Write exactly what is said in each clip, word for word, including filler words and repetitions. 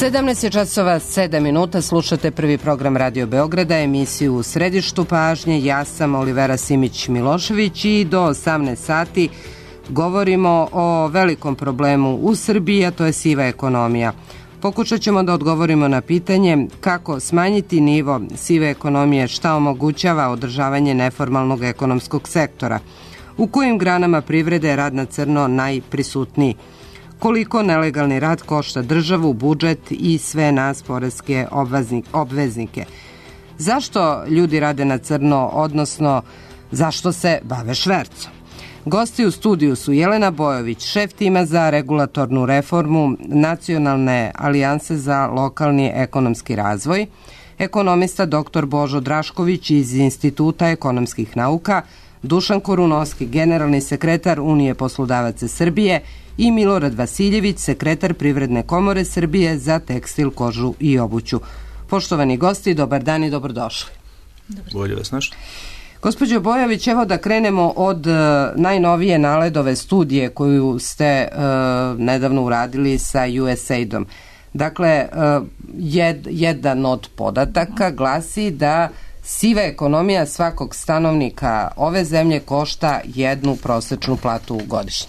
sedamnaest je časova sedam minuta, slušate prvi program Radio Beograda, emisiju U središtu pažnje. Ja sam Olivera Simić-Milošević i do osamnaest sati govorimo o velikom problemu u Srbiji, a to je siva ekonomija. Pokušat ćemo da odgovorimo na pitanje kako smanjiti nivo sive ekonomije, šta omogućava održavanje neformalnog ekonomskog sektora, u kojim granama privrede je rad na crno najprisutniji, koliko nelegalni rad košta državu, budžet i sve nas poreske obveznike. Zašto ljudi rade na crno, odnosno zašto se bave švercom? Gosti u studiju su Jelena Bojović, šef tima za regulatornu reformu Nacionalne alijanse za lokalni ekonomski razvoj, ekonomista doktor Božo Drašković iz Instituta ekonomskih nauka, Dušan Korunovski, generalni sekretar Unije poslodavaca Srbije i Milorad Vasiljević, sekretar Privredne komore Srbije za tekstil, kožu i obuću. Poštovani gosti, dobar dan i dobrodošli. Bolje vas našli. Gospođo Bojović, evo da krenemo od uh, najnovije NALED-ove studije koju ste uh, nedavno uradili sa U S A I D-om. Dakle, uh, jed, jedan od podataka glasi da siva ekonomija svakog stanovnika ove zemlje košta jednu prosečnu platu godišnje.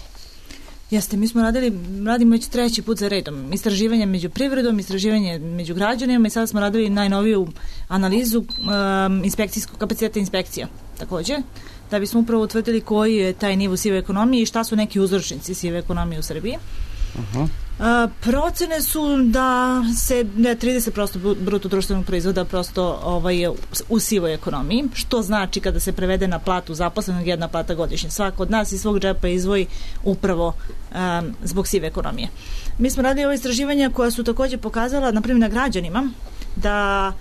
Jeste, mi smo radili, radimo već treći put za redom. Istraživanje među privredom, istraživanje među građanima i sada smo radili najnoviju analizu um, inspekcijskog kapaciteta inspekcija takođe, da bismo upravo utvrdili koji je taj nivo sive ekonomije i šta su neki uzročnici sive ekonomije u Srbiji. Uh-huh. A, procene su da se da trideset posto bruto društvenog proizvoda prosto ovaj, u sivoj ekonomiji, što znači kada se prevede na platu zaposlenog jedna plata godišnje. Svako od nas iz svog džepa izvoji upravo um, zbog sive ekonomije. Mi smo radili ove istraživanja koja su takođe pokazala, na primjer na građanima, da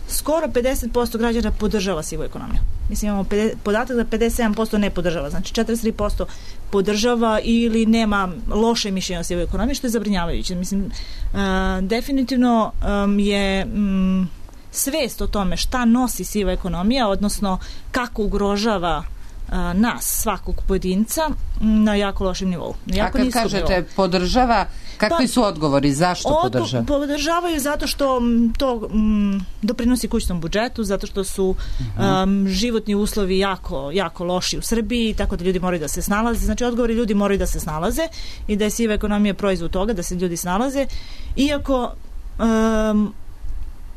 skoro pedeset posto građana podržava sivu ekonomiju. Mislim, imamo podatak da pedeset sedam posto ne podržava, znači četrdeset tri posto podržava ili nema loše mišljenje o sivoj ekonomiji, što je zabrinjavajuće. Mislim, uh, definitivno um, je um, svest o tome šta nosi siva ekonomija, odnosno kako ugrožava uh, nas, svakog pojedinca, na jako lošem nivou. Jako A kad kažete nivou. Podržava, kakvi pa, su odgovori? Zašto od, podržava? Podržavaju zato što to m, doprinosi kućnom budžetu, zato što su uh-huh. um, životni uslovi jako, jako loši u Srbiji, tako da ljudi moraju da se snalaze. Znači, odgovori ljudi moraju da se snalaze i da je siva ekonomija proizvod toga, da se ljudi snalaze. Iako um,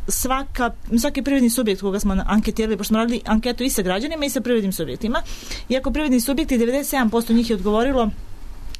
svaka, svaki privredni subjekt koga smo anketirali, pošto smo radili anketu i sa građanima i sa privrednim subjektima, iako privredni subjekti, devedeset sedam posto njih je odgovorilo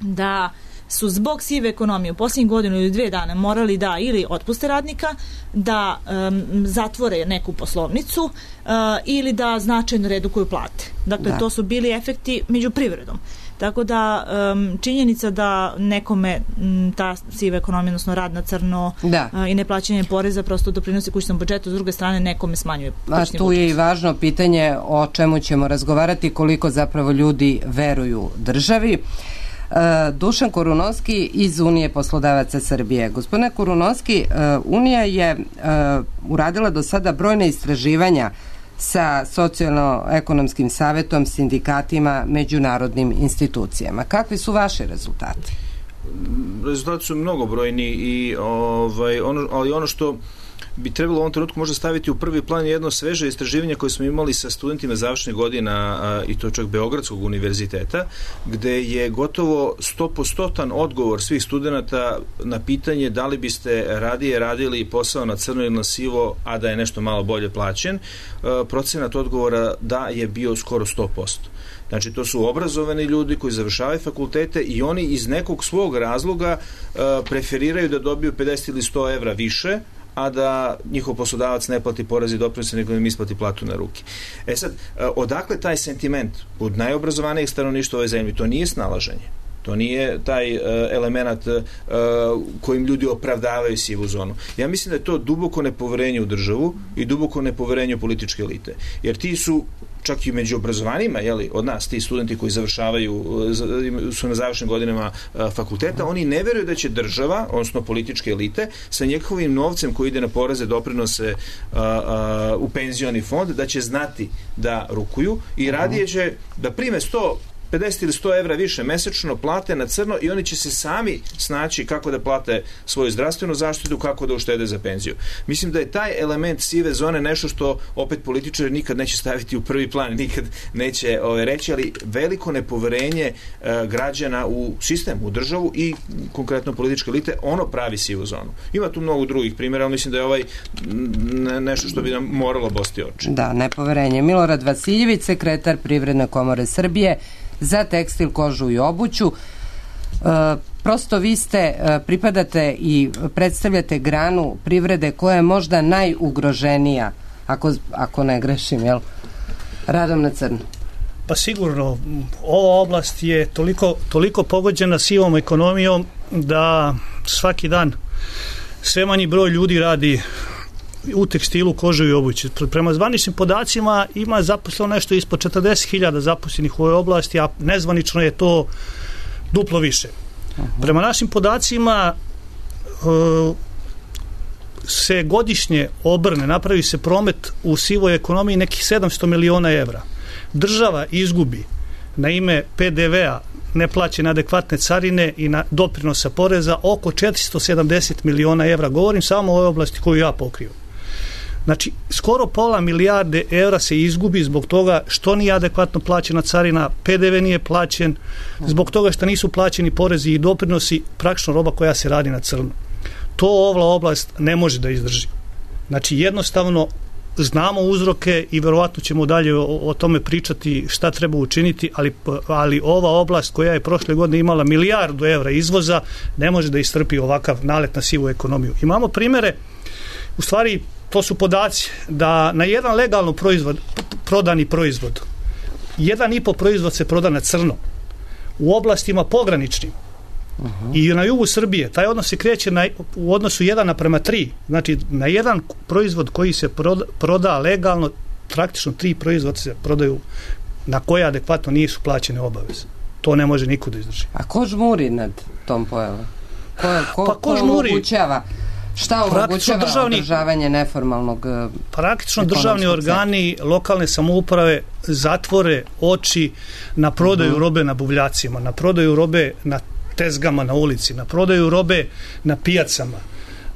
da su zbog sive ekonomije u posljednjih godinu ili dve dana morali da ili otpuste radnika, da um, zatvore neku poslovnicu uh, ili da značajno redukuju plate. Dakle, da. To su bili efekti među privredom. Tako da um, činjenica da nekome m, ta siva ekonomija, odnosno rad na crno da. uh, i neplaćanje poreza prosto doprinosi kućnom budžetu, s druge strane nekome smanjuje kućni budžet. A tu je i važno pitanje o čemu ćemo razgovarati, koliko zapravo ljudi veruju državi. Dušan Korunovski iz Unije poslodavaca Srbije. Gospodine Korunovski, Unija je uradila do sada brojne istraživanja sa socijalno-ekonomskim savetom, sindikatima, međunarodnim institucijama. Kakvi su vaši rezultati? Rezultati su mnogobrojni i ovaj, ono, ali ono što bi trebalo u ovom trenutku možda staviti u prvi plan jedno sveže istraživanje koje smo imali sa studentima završnih godina a, i to čak Beogradskog univerziteta, gde je gotovo sto posto odgovor svih studenata na pitanje da li biste radije radili posao na crno ili na sivo, a da je nešto malo bolje plaćen. A, procenat odgovora da je bio skoro sto posto. Znači, to su obrazovani ljudi koji završavaju fakultete i oni iz nekog svog razloga a, preferiraju da dobiju pedeset ili sto evra više, a da njihov poslodavac ne plati porez i doprinose, nego im isplati platu na ruke. E sad, odakle taj sentiment od najobrazovanijih stanovništva ove zemlje? To nije snalaženje. To nije taj uh, element uh, kojim ljudi opravdavaju sivu zonu. Ja mislim da je to duboko nepoverenje u državu i duboko nepoverenje u političke elite. Jer ti su čak i među obrazovanima, jeli, od nas, ti studenti koji završavaju, su na završnim godinama fakulteta, oni ne veruju da će država, odnosno političke elite, sa njegovim novcem koji ide na poreze, doprinose a, a, u penzioni fond, da će znati da rukuju i radije će da prime sto pedeset ili sto evra više mesečno plate na crno i oni će se sami snaći kako da plate svoju zdravstvenu zaštitu, kako da uštede za penziju. Mislim da je taj element sive zone nešto što opet političari nikad neće staviti u prvi plan, nikad neće ove, reći, ali veliko nepoverenje e, građana u sistem, u državu i konkretno političke elite, ono pravi sivu zonu. Ima tu mnogo drugih primjera, ali mislim da je ovaj ne, nešto što bi nam moralo bosti oči. Da, nepoverenje. Milorad Vasiljević, sekretar Privredne komore Srbije za tekstil, kožu i obuću. E, prosto vi ste, e, pripadate i predstavljate granu privrede koja je možda najugroženija, ako, ako ne grešim, jel? Radom na crno. Pa sigurno, ova oblast je toliko, toliko pogođena sivom ekonomijom da svaki dan sve manji broj ljudi radi u tekstilu, kožu i obući. Prema zvaničnim podacima ima zaposleno nešto ispod četrdeset hiljada zaposlenih u ovoj oblasti, a nezvanično je to duplo više. Prema našim podacima uh, se godišnje obrne, napravi se promet u sivoj ekonomiji nekih sedamsto miliona evra. Država izgubi na ime P D V-a, neplaćene adekvatne carine i na doprinosa poreza oko četiristo sedamdeset miliona evra. Govorim samo o ovoj oblasti koju ja pokriju. Znači, skoro pola milijarde evra se izgubi zbog toga što nije adekvatno plaćena carina, P D V nije plaćen, zbog toga što nisu plaćeni porezi i doprinosi, praktično roba koja se radi na crno. To ova oblast ne može da izdrži. Znači, jednostavno znamo uzroke i verovatno ćemo dalje o, o tome pričati šta treba učiniti, ali, ali ova oblast koja je prošle godine imala milijardu evra izvoza ne može da istrpi ovakav nalet na sivu ekonomiju. Imamo primere, u stvari to su podaci da na jedan legalno proizvod, prodani proizvod, jedan i po proizvod se proda na crno u oblastima pograničnim. Uh-huh. I na jugu Srbije taj odnos se kreće na, u odnosu jedan naprema tri. Znači na jedan proizvod koji se proda, proda legalno, praktično tri proizvoda se prodaju na koje adekvatno nisu plaćene obaveze. To ne može niko da izdrži. A ko žmuri nad tom pojavom? Ko, ko, pa ko žmuri? Omogućava? Šta omogućava državni, održavanje neformalnog praktično državni organi, lokalne samouprave zatvore oči na prodaju uh-huh. robe na buvljacima, na prodaju robe na tezgama na ulici, na prodaju robe na pijacama,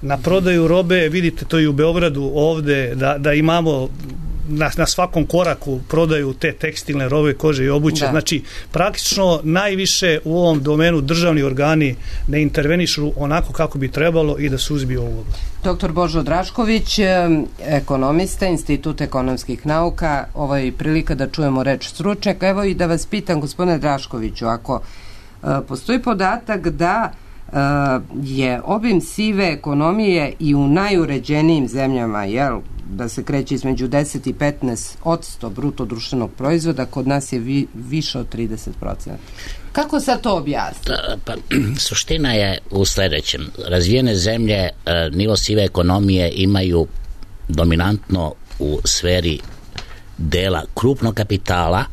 na prodaju robe, vidite to i u Beogradu ovde, da, da imamo na, na svakom koraku prodaju te tekstilne robe, kože i obuće. Da. Znači, praktično najviše u ovom domenu državni organi ne intervenišu onako kako bi trebalo i da suzbiju ovu oblast. Doktor Božo Drašković, ekonomista, Institut ekonomskih nauka, ovo je prilika da čujemo reč stručnjaka. Evo i da vas pitam, gospodine Draškoviću, ako postoji podatak da uh, je obim sive ekonomije i u najuređenijim zemljama, jel, da se kreće između deset i petnaest odsto bruto društvenog proizvoda, kod nas je vi, više od trideset procenta. Kako sad to objasniti? Pa, suština je u sledećem. Razvijene zemlje nivo sive ekonomije imaju dominantno u sferi dela krupnog kapitala,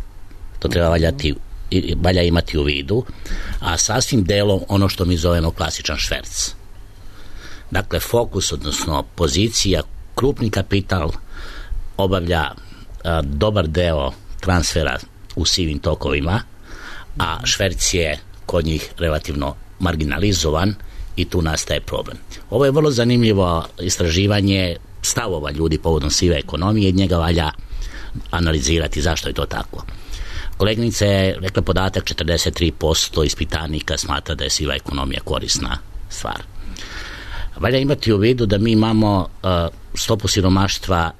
to treba valjati i valja imati u vidu, a sasvim delom ono što mi zovemo klasičan šverc. Dakle, fokus, odnosno pozicija, krupni kapital obavlja a, dobar deo transfera u sivim tokovima, a šverc je kod njih relativno marginalizovan i tu nastaje problem. Ovo je vrlo zanimljivo istraživanje stavova ljudi povodom sive ekonomije i njega valja analizirati zašto je to tako. Kolegnica je rekla podatak četrdeset tri posto ispitanika smatra da je siva ekonomija korisna stvar. Valja imati u vidu da mi imamo uh, stopu siromaštva,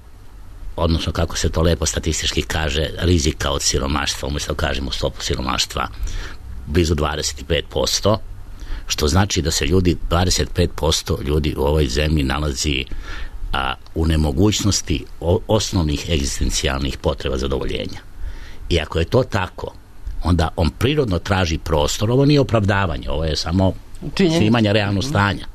odnosno kako se to lepo statistički kaže, rizika od siromaštva, umjesto da kažemo stopu siromaštva, blizu dvadeset pet posto, što znači da se ljudi, dvadeset pet posto ljudi u ovoj zemlji nalazi a, u nemogućnosti o, osnovnih egzistencijalnih potreba zadovoljenja. I ako je to tako, onda on prirodno traži prostor, ovo nije opravdavanje, ovo je samo snimanje realnog stanja.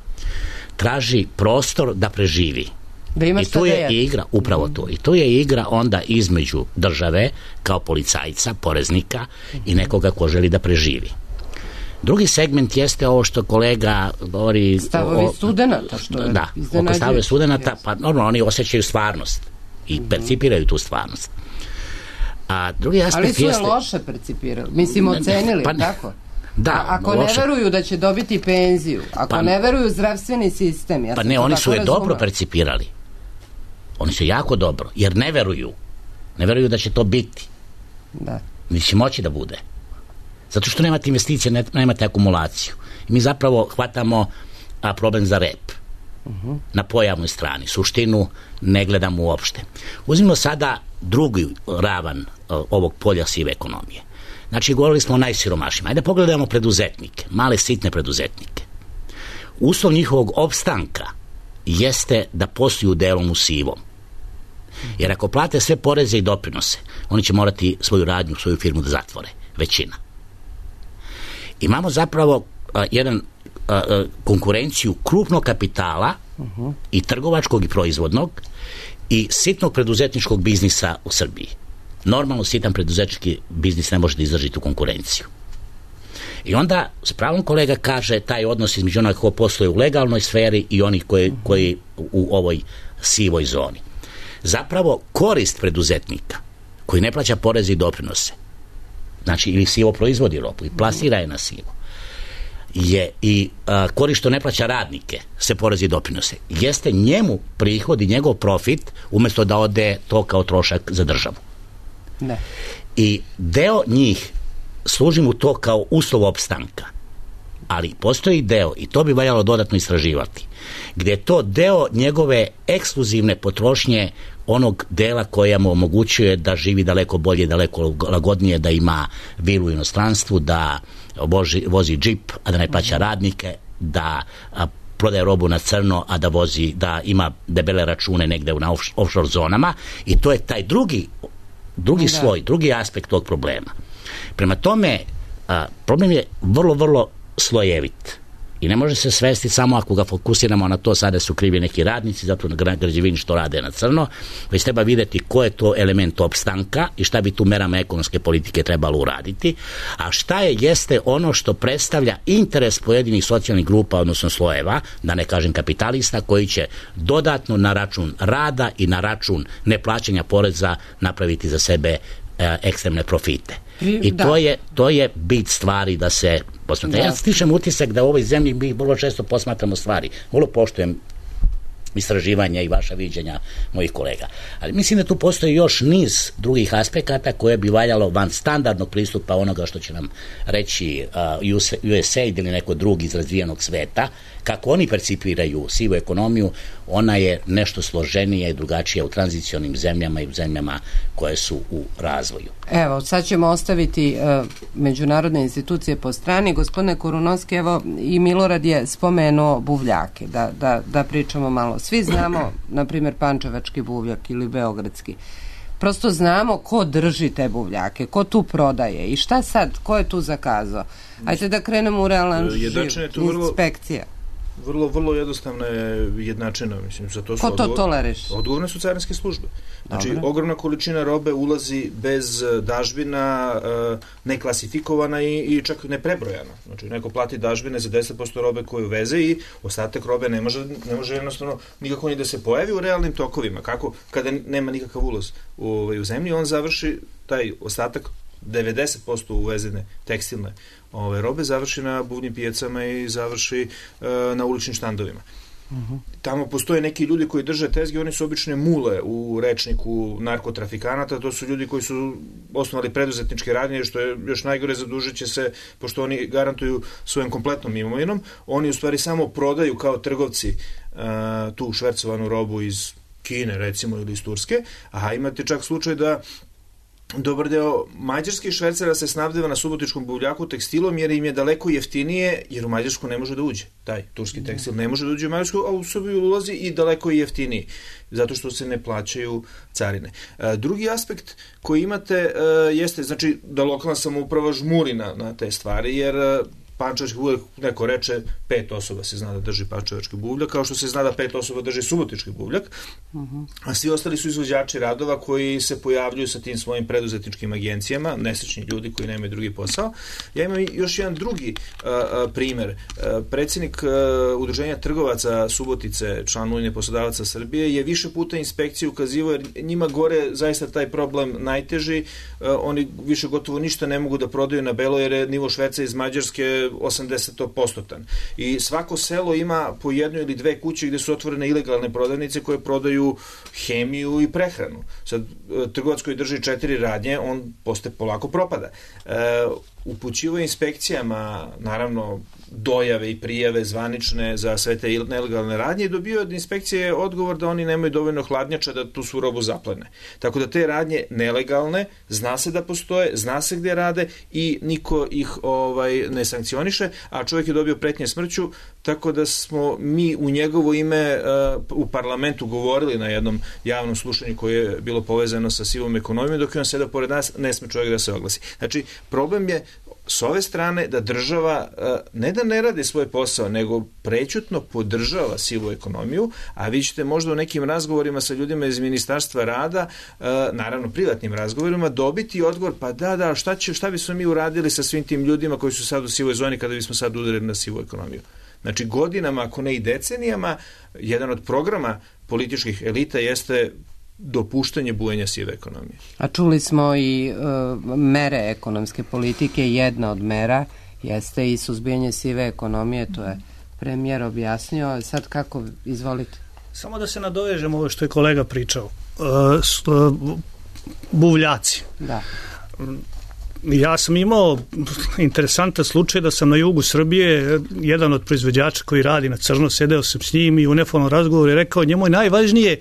Traži prostor da preživi. Da I tu je igra, upravo to, i tu je igra onda između države kao policajca, poreznika i nekoga ko želi da preživi. Drugi segment jeste ovo što kolega govori... Stavovi studenata, što je da, oko stavove studenata, pa normalno oni osjećaju stvarnost i percipiraju tu stvarnost. A drugi aspekt ali su je jeste... loše percipirali, mislim ocenili, pa, tako? Da, A, ako loše. ne veruju da će dobiti penziju, ako pa, ne veruju zdravstveni sistem, ja pa ne, oni su je razumela. dobro percipirali. Oni su jako dobro, jer ne veruju. Ne veruju da će to biti. Da. Ni će moći da bude. Zato što nemate investicije, ne, nemate akumulaciju. I mi zapravo hvatamo a, problem za rep. Uh-huh. Na pojavnoj strani. Suštinu ne gledamo uopšte. Uzmimo sada drugi ravan a, ovog polja sive ekonomije. Znači, govorili smo o najsiromašnijima. Ajde pogledamo preduzetnike, male sitne preduzetnike. Uslov njihovog opstanka jeste da posluju delom u sivom. Jer ako plate sve poreze i doprinose, oni će morati svoju radnju, svoju firmu da zatvore. Većina. Imamo zapravo a, jedan a, a, konkurenciju krupnog kapitala uh-huh. i trgovačkog i proizvodnog i sitnog preduzetničkog biznisa u Srbiji. Normalno sitan preduzetnički biznis ne može da izdrži tu konkurenciju. I onda s pravom kolega kaže taj odnos između onoga ko posluje u legalnoj sferi i onih koji, koji u ovoj sivoj zoni. Zapravo korist preduzetnika koji ne plaća poreze i doprinose, znači ili sivo proizvodi robu i plasira je na sivo, je i a, korist što ne plaća radnike se porezi i doprinose, jeste njemu prihod i njegov profit umjesto da ode to kao trošak za državu. Ne. I deo njih služi mu to kao uslov opstanka, ali postoji deo, i to bi valjalo dodatno istraživati, gdje je to deo njegove ekskluzivne potrošnje onog dela koja mu omogućuje da živi daleko bolje, daleko lagodnije, da ima vilu u inostranstvu, da vozi, vozi džip, a da ne plaća radnike, da a, prodaje robu na crno, a da vozi, da ima debele račune negde na off, offshore zonama, i to je taj drugi drugi da. sloj, drugi aspekt tog problema. Prema tome, a, problem je vrlo, vrlo slojevit. I ne može se svesti samo ako ga fokusiramo na to sada su krivi neki radnici, zato na građevini što rade na crno, već treba vidjeti ko je to element opstanka i šta bi tu merama ekonomske politike trebalo uraditi, a šta je jeste ono što predstavlja interes pojedinih socijalnih grupa, odnosno slojeva, da ne kažem kapitalista, koji će dodatno na račun rada i na račun neplaćanja poreza napraviti za sebe e, ekstremne profite. I da. to je to je bit stvari da se posmatra. Da. Ja stičem utisak da u ovoj zemlji mi vrlo često posmatramo stvari. Vrlo poštujem istraživanja i vaša viđenja mojih kolega. Ali mislim da tu postoji još niz drugih aspekata koje bi valjalo van standardnog pristupa onoga što će nam reći uh, U S A I D ili neko drugi iz razvijenog sveta, kako oni percipiraju sivu ekonomiju. Ona je nešto složenija i drugačija u tranzicionim zemljama i u zemljama koje su u razvoju. Evo, sad ćemo ostaviti uh, međunarodne institucije po strani. Gospodine Korunovski, evo i Milorad je spomenuo buvljake, da, da, da pričamo malo. Svi znamo, na primjer, pančevački buvljak ili beogradski. Prosto znamo ko drži te buvljake, ko tu prodaje i šta sad, ko je tu zakazao. Ajde da krenemo u realan živ, inspekcija. Vrlo, vrlo jednostavna je jednačina, mislim, za to su ko to odgovor... toleriš? Odgovorne su carinske službe. Znači, Dobre. ogromna količina robe ulazi bez dažbina, neklasifikovana i, i čak neprebrojana. Znači, neko plati dažbine za deset posto robe koju veze i ostatak robe ne može, ne može jednostavno nikako ni da se pojavi u realnim tokovima. Kako? Kada nema nikakav ulaz u, u zemlji, on završi taj ostatak devedeset posto uvezene tekstilne ove robe završi na buvljim pijacama i završi e, na uličnim štandovima. Uh-huh. Tamo postoje neki ljudi koji drže tezge, oni su obične mule u rečniku narkotrafikanata, to su ljudi koji su osnovali preduzetničke radnje, što je još najgore, zadužit će se, pošto oni garantuju svojom kompletnom imovinom, oni u stvari samo prodaju kao trgovci e, tu švercovanu robu iz Kine, recimo, ili iz Turske, a imate čak slučaj da dobar deo mađarskih švercera se snabdeva na subotičkom buvljaku tekstilom jer im je daleko jeftinije, jer u Mađarsku ne može da uđe. Taj turski tekstil ne može da uđe u Mađarsku, a u Srbiju ulazi i daleko je jeftiniji, zato što se ne plaćaju carine. E, drugi aspekt koji imate e, jeste, znači, da lokalna samouprava žmuri na, na te stvari, jer pančevački buvljak, neko reče pet osoba se zna da drži pančevački buvljak, kao što se zna da pet osoba drži subotički buvljak, uh-huh. a svi ostali su izvođači radova koji se pojavljuju sa tim svojim preduzetničkim agencijama, nesrećni ljudi koji nemaju drugi posao. Ja imam još jedan drugi uh, primer. Uh, predsjednik uh, Udruženja trgovaca Subotice, član Udruženja poslodavaca Srbije, je više puta inspekciji ukazivao, jer njima gore zaista taj problem najteži, uh, oni više gotovo ništa ne mogu da prodaju na belo, jer je nivo šverca iz Mađarske osamdeset posto. I svako selo ima po jednu ili dve kuće gde su otvorene ilegalne prodavnice koje prodaju hemiju i prehranu. Sad, trgovac koji drži četiri radnje, on posle polako propada. E, upućivo inspekcijama, naravno, dojave i prijave zvanične za sve te nelegalne radnje i dobio od inspekcije odgovor da oni nemaju dovoljno hladnjača da tu svu robu zaplene. Tako da te radnje nelegalne, zna se da postoje, zna se gde rade i niko ih ovaj ne sankcioniše, a čovjek je dobio pretnje smrću, tako da smo mi u njegovo ime uh, u parlamentu govorili na jednom javnom slušanju koje je bilo povezano sa sivom ekonomijom, dok je on sedao pored nas, ne sme čovjek da se oglasi. Znači, problem je s ove strane da država ne da ne radi svoj posao, nego prećutno podržava sivu ekonomiju, a vi ćete možda u nekim razgovorima sa ljudima iz Ministarstva rada, naravno privatnim razgovorima, dobiti odgovor, pa da, da, šta, će, šta bismo mi uradili sa svim tim ljudima koji su sad u sivoj zoni kada bismo sad udarili na sivu ekonomiju. Znači, godinama, ako ne i decenijama, jedan od programa političkih elita jeste dopuštanje bujanja sive ekonomije. A čuli smo i uh, mere ekonomske politike, jedna od mera jeste i suzbijanje sive ekonomije, to je premijer objasnio, sad kako, izvolite? Samo da se nadovežemo ovo što je kolega pričao. Uh, sto, buvljaci. Da. Ja sam imao interesantan slučaj da sam na jugu Srbije, jedan od proizvođača koji radi na crno, sedeo sam s njim i u neformalnom razgovoru je rekao, njemu je najvažnije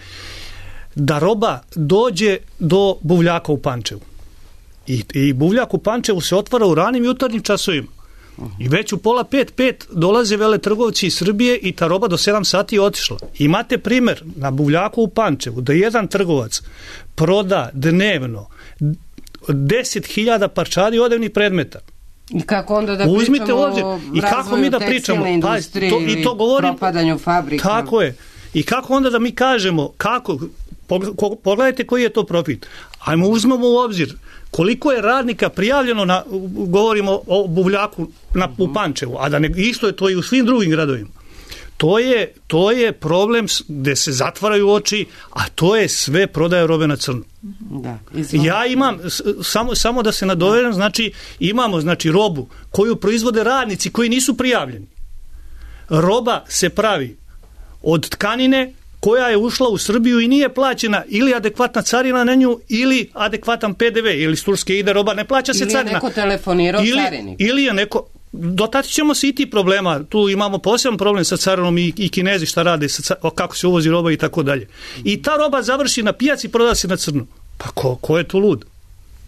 da roba dođe do buvljaka u Pančevu. I, i buvljak u Pančevu se otvara u ranim jutarnjim časovima. I već u pola pet, pet dolaze veletrgovci iz Srbije i ta roba do sedam sati je otišla. Imate primer na buvljaku u Pančevu da jedan trgovac proda dnevno deset hiljada parčadi odevnih predmeta. I kako onda da Uzmite pričamo ovdje. o I kako mi da pričamo? Pa, to, i to govorim, propadanju fabrika. Tako je. I kako onda da mi kažemo, kako, pogledajte koji je to profit. Ajmo uzmemo u obzir koliko je radnika prijavljeno, na, govorimo o buvljaku na, u Pančevu, a da ne, isto je to i u svim drugim gradovima. To je, to je problem gde se zatvaraju oči, a to je sve prodaja robe na crno. Da, ja imam, samo, samo da se nadovežem, znači imamo znači, robu koju proizvode radnici koji nisu prijavljeni. Roba se pravi od tkanine koja je ušla u Srbiju i nije plaćena ili adekvatna carina na nju ili adekvatan P D V, ili iz Turske ide roba, ne plaća se carina. Ili je neko telefonirao ili, carinik. Ili je neko, dotati ćemo se i ti problema, tu imamo poseban problem sa carinom i, i Kinezi šta rade, sa, kako se uvozi roba i tako dalje. I ta roba završi na pijaci i proda se na crno. Pa ko, ko je tu lud?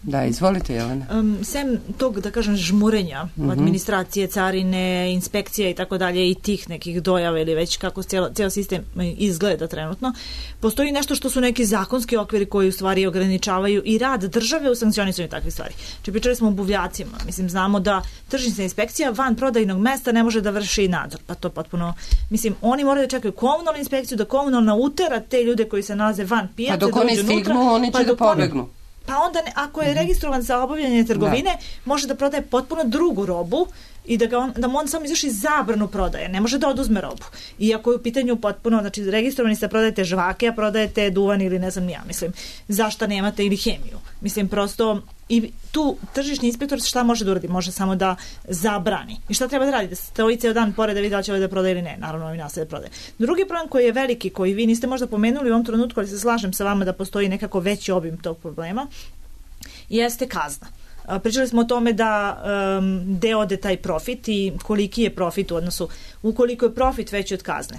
Da, izvolite, Jelena. Um, sem tog, da kažem, žmurenja, uh-huh. administracije, carine, inspekcije i tako dalje i tih nekih dojava ili već kako cijel, cijel sistem izgleda trenutno, postoji nešto što su neki zakonski okviri koji u stvari ograničavaju i rad države u sankcionisanju takvih stvari. Če pričali smo o buvljacima, mislim, znamo da tržišna inspekcija van prodajnog mesta ne može da vrši nadzor, pa to potpuno, mislim, oni moraju da čekaju komunalnu inspekciju, da komunalna utera te ljude koji se nalaze van pijace, pa dok oni stignu, unutra, oni će pa da pobegnu. Pa onda, ne, ako je registrovan za obavljanje trgovine, da. može da prodaje potpuno drugu robu i da, ga on, da mu on samo izvrši zabranu prodaje, ne može da oduzme robu. Iako je u pitanju potpuno, znači registrovani ste prodajete žvake, a prodajete duvan ili ne znam ja, mislim, zašto nemate ili hemiju. Mislim, prosto, i tu tržišni inspektor šta može da uradi? Može samo da zabrani. I šta treba da radi? Da stoji ceo dan pored da vidi da li će ovaj da prodaje ili ne. Naravno, ovaj nastaje da prodaje. Drugi problem koji je veliki, koji vi niste možda pomenuli u ovom trenutku, ali se slažem sa vama da postoji nekako veći obim tog problema, jeste kazna. Pričali smo o tome da um, gde ode taj profit i koliki je profit u odnosu, ukoliko je profit veći od kazne.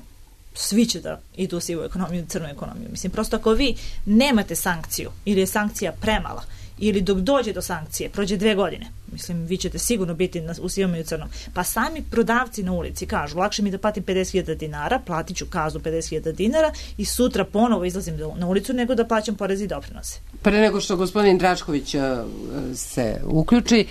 Svi će da idu u sivu ekonomiju, crnu ekonomiju. Mislim, prosto ako vi nemate sankciju ili je sankcija premala ili dok dođe do sankcije, prođe dve godine, mislim, vi ćete sigurno biti na, u sivom i u crnom. Pa sami prodavci na ulici kažu, lakše mi da platim pedeset hiljada dinara, platit ću kaznu pedeset hiljada dinara i sutra ponovo izlazim na ulicu nego da plaćam porez i doprinose. Pre nego što gospodin Drašković uh, se uključi,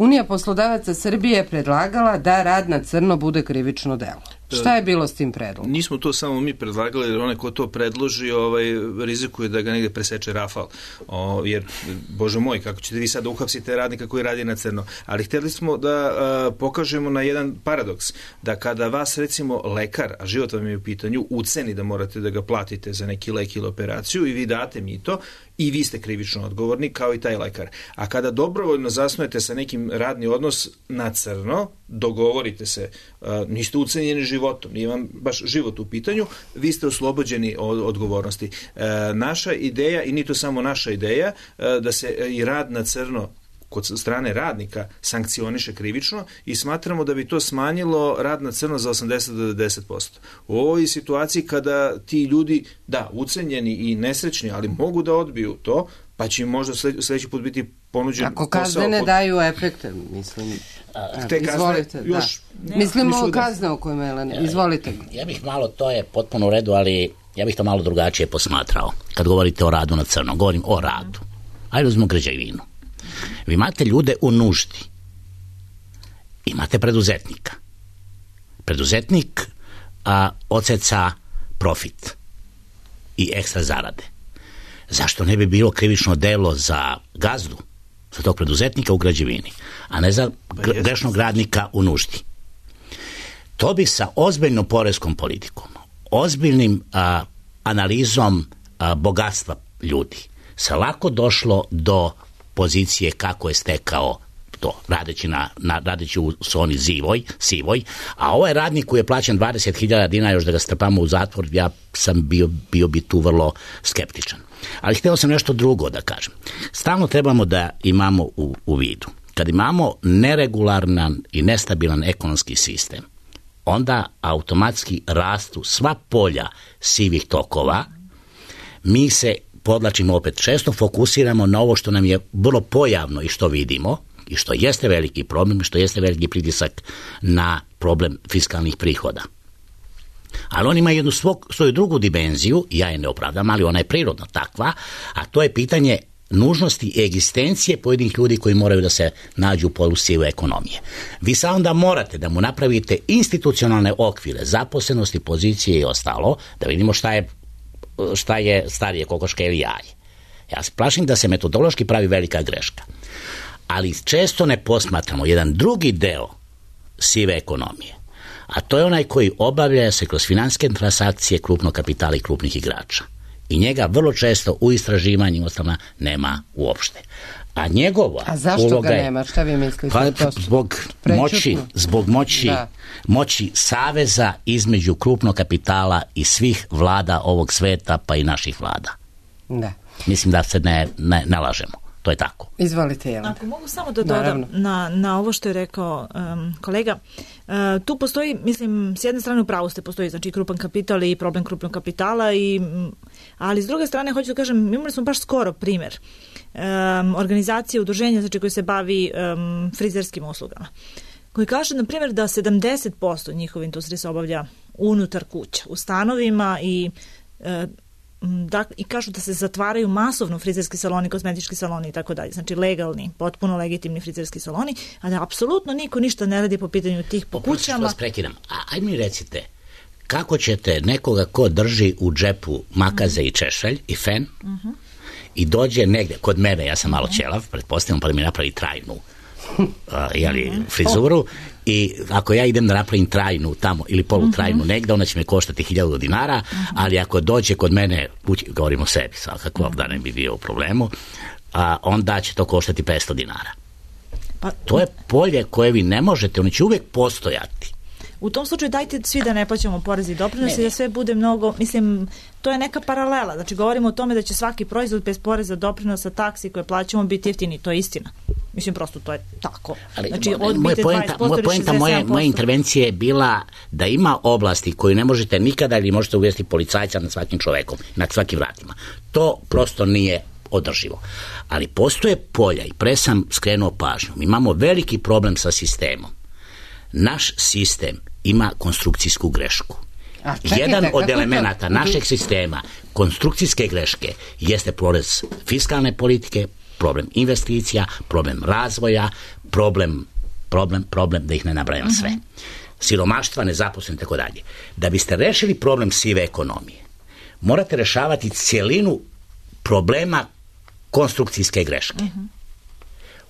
Unija poslodavaca Srbije predlagala da rad na crno bude krivično delo. Šta je bilo s tim predlogom? Nismo to samo mi predlagali, jer onaj ko to predloži ovaj, rizikuje da ga negde preseče rafal. O, jer, bože moj, kako ćete vi sad uhapsite radnika koji radi na crno. Ali htjeli smo da a, pokažemo na jedan paradoks, da kada vas recimo lekar, a život vam je u pitanju, uceni da morate da ga platite za neki lek ili operaciju i vi date mito, i vi ste krivično odgovorni kao i taj lekar. A kada dobrovoljno zasnujete sa nekim radni odnos na crno, dogovorite se, a, niste ucenjeni životom, nije vam baš život u pitanju, vi ste oslobođeni od odgovornosti. E, naša ideja, i nije to samo naša ideja, e, da se i rad na crno kod strane radnika sankcioniše krivično i smatramo da bi to smanjilo rad na crno za osamdeset do devedeset posto. U ovoj situaciji kada ti ljudi, da, ucenjeni i nesrećni, ali mogu da odbiju to, pa će im možda sljedeći put biti ponuđen Ako posao. kazne ne pod... daju efekte, mislim. A, te kazne izvolite, još... Da. Mislimo o kazne o kojima je, izvolite. Ja bih malo, to je potpuno u redu, ali ja bih to malo drugačije posmatrao. Kad govorite o radu na crno, govorim o radu. Ajde uzmemo građevinu. Vi imate ljude u nuždi. Imate preduzetnika. Preduzetnik a, odseca profit i ekstra zarade. Zašto ne bi bilo krivično delo za gazdu, za tog preduzetnika u građevini, a ne za grešnog radnika u nuždi? To bi sa ozbiljnom poreskom politikom, ozbiljnim a, analizom a, bogatstva ljudi se lako došlo do pozicije kako je stekao to, radeći, na, na, radeći u zoni zivoj, sivoj, a ovaj radnik koji je plaćen dvadeset hiljada dinara još da ga strpamo u zatvor, ja sam bio, bio bi tu vrlo skeptičan. Ali htio sam nešto drugo da kažem. Stalno trebamo da imamo u, u vidu. Kad imamo neregularan i nestabilan ekonomski sistem, onda automatski rastu sva polja sivih tokova, mi se podlačimo opet, često fokusiramo na ovo što nam je vrlo pojavno i što vidimo i što jeste veliki problem i što jeste veliki pritisak na problem fiskalnih prihoda. Ali on ima jednu svog, svoju drugu dimenziju, ja je ne opravdam, ali ona je prirodno takva, a to je pitanje nužnosti egzistencije pojedinih ljudi koji moraju da se nađu u polu sive ekonomije. Vi sad onda morate da mu napravite institucionalne okvire, zaposlenosti, pozicije i ostalo, da vidimo šta je šta je starije, kokoška ili jaje. Ja se plašim da se metodološki pravi velika greška. Ali često ne posmatramo jedan drugi deo sive ekonomije, a to je onaj koji obavlja se kroz finansijske transakcije krupnog kapitala i krupnih igrača. I njega vrlo često u istraživanju ostala nema uopšte. A njegova A zašto uloga ga je, nema? Šta vi mislite? Pa, to zbog moći, zbog moći, da. moći saveza između krupnog kapitala i svih vlada ovog sveta, pa i naših vlada. Da. Mislim da se ne, ne, ne lažemo. To je tako. Izvolite, Jelena. Ako mogu samo da dodam na, na ovo što je rekao um, kolega, uh, tu postoji, mislim, s jedne strane u pravu ste, postoji znači krupan kapital i problem krupnog kapitala, i, ali s druge strane hoću da kažem, imali smo baš skoro primjer um, organizacije, udruženja znači, koje se bavi um, frizerskim uslugama, koji kaže, na primjer, da sedamdeset posto njihove industrije se obavlja unutar kuća, u stanovima, i uh, da, i kažu da se zatvaraju masovno frizerski saloni, kozmetički saloni i tako dalje. Znači legalni, potpuno legitimni frizerski saloni, a da apsolutno niko ništa ne radi po pitanju tih po kućama. Vas prekidam. A aj mi recite, kako ćete nekoga ko drži u džepu makaze mm. i češalj i fen mm-hmm. i dođe negde, kod mene, ja sam malo ćelav, pretpostavljam, pa da mi napravi trajnu uh, jeli, frizuru, i ako ja idem da napravim trajnu tamo ili polutrajnu uh-huh. negde, ona će me koštati hiljadu dinara, uh-huh. ali ako dođe kod mene, govorimo o sebi svakako, uh-huh. da ne bi bio u problemu, a, onda će to koštati petsto dinara. Pa, to je polje koje vi ne možete, ono će uvijek postojati. U tom slučaju dajte svi da ne plaćamo porez i doprinose i da sve bude mnogo, mislim, to je neka paralela. Znači govorimo o tome da će svaki proizvod bez poreza, doprinosa, taksi koje plaćamo biti jeftini, to je istina. Mislim, prosto to je tako. Ali, znači, moja poenta, moja poenta moje, moje intervencije je bila da ima oblasti koju ne možete nikada ili možete uvesti policajca nad svakim čovekom, nad svakim vratima. To prosto nije održivo. Ali postoje polja, i pre sam skrenuo pažnju, mi imamo veliki problem sa sistemom. Naš sistem ima konstrukcijsku grešku. A, čekajte, jedan od elemenata to? našeg sistema konstrukcijske greške jeste porez fiskalne politike, problem investicija, problem razvoja, problem, problem, problem, da ih ne nabrajam sve. Siromaštva, nezaposlen, tako dalje. Da biste rešili problem sive ekonomije, morate rešavati cijelinu problema konstrukcijske greške.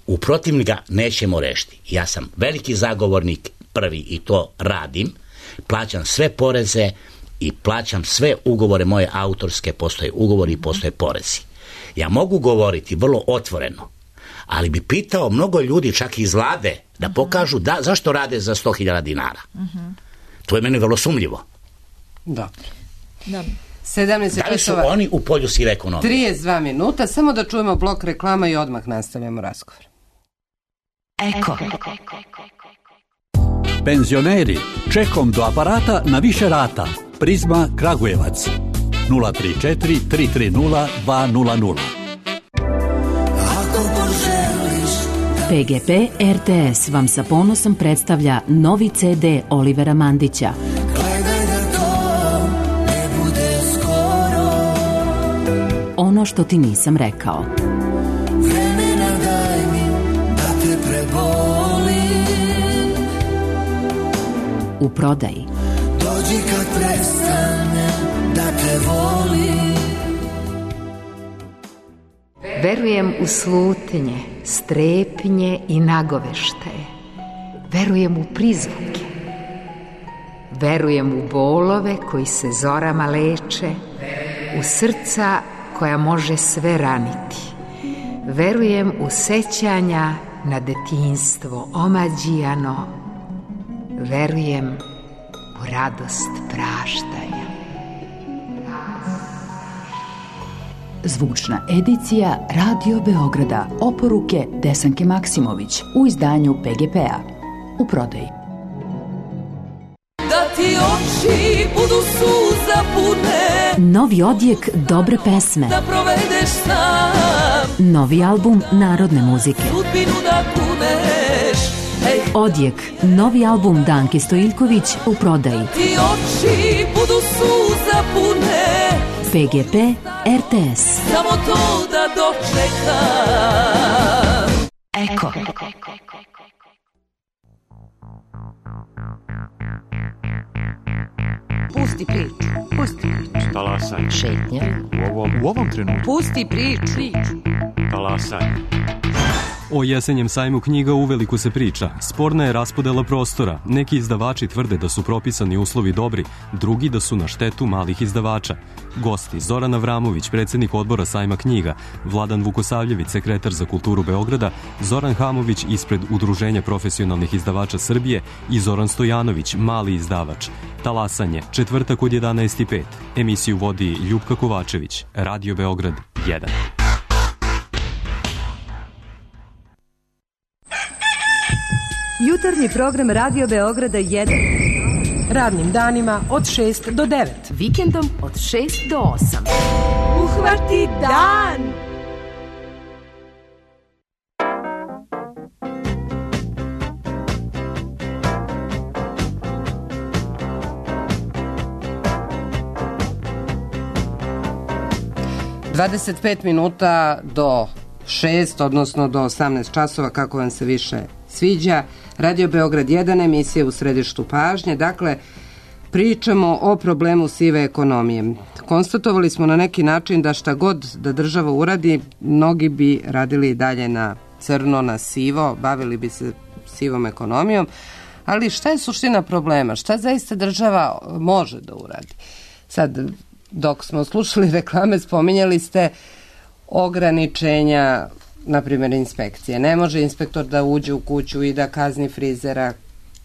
U protivnom ga nećemo rešiti. Ja sam veliki zagovornik, prvi, i to radim, plaćam sve poreze i plaćam sve ugovore moje autorske, postoje ugovori i postoje porezi. Ja mogu govoriti vrlo otvoreno, ali bi pitao mnogo ljudi, čak i iz vlade, da pokažu da, zašto rade za sto hiljada dinara. To je meni vrlo sumljivo. Da. Da. sedamnaest Da li su časova, oni u polju sive ekonomije? trideset dva minuta, samo da čujemo blok reklama i odmah nastavljamo razgovor. Eko. Penzioneri, čekom do aparata na više rata. Prizma Kragujevac. nula tri četiri tri tri nula dva nula nula. P G P R T S vam sa ponosom predstavlja novi C D Olivera Mandića. Ono što ti nisam rekao. Vremena daj mi da te prebolim. U prodaji. Dođi kad prestane da te volim. Verujem u slutnje, strepnje i nagoveštaje. Verujem u prizvuke. Verujem u bolove koji se zorama leče, u srca koja može sve raniti. Verujem u sećanja na detinjstvo omađijano. Verujem u radost praštanja. Zvučna edicija Radio Beograda. Oporuke Desanke Maksimović u izdanju P G P-a. U prodaji. Da ti oči budu suza pune, Novi odjek dobre pesme. da provedeš sam, Novi album narodne muzike. sudbinu da kuneš. Ej, Odjek, novi album Danke Stojiljković u prodaji. ti oči budu suza pune, P G P R T S. samo to da dočekam. Eko. Pusti priču, pusti priču. Talasaj. Šetnja. U ovom, u ovom trenutku. Pusti priču. Talasaj. O jesenjem sajmu knjiga uveliko se priča. Sporna je raspodela prostora. Neki izdavači tvrde da su propisani uslovi dobri, drugi da su na štetu malih izdavača. Gosti: Zoran Avramović, predsjednik odbora sajma knjiga, Vladan Vukosavljević, sekretar za kulturu Beograda, Zoran Hamović ispred Udruženja profesionalnih izdavača Srbije i Zoran Stojanović, mali izdavač. Talasanje, četvrtak od jedanaest i pet. Emisiju vodi Ljupka Kovačević, Radio Beograd jedan. Jutarnji program Radio Beograda jedan. Radnim danima od šest do devet. Vikendom od šest do osam. Uhvati dan! dvadeset pet minuta do šest, odnosno do osamnaest časova, kako vam se više sviđa. Radio Beograd jedan, emisija u središtu pažnje. Dakle, pričamo o problemu sive ekonomije. Konstatovali smo na neki način da šta god da država uradi, mnogi bi radili dalje na crno, na sivo, bavili bi se sivom ekonomijom. Ali šta je suština problema? Šta zaista država može da uradi? Sad, dok smo slušali reklame, spominjali ste ograničenja, na primjer inspekcije. Ne može inspektor da uđe u kuću i da kazni frizera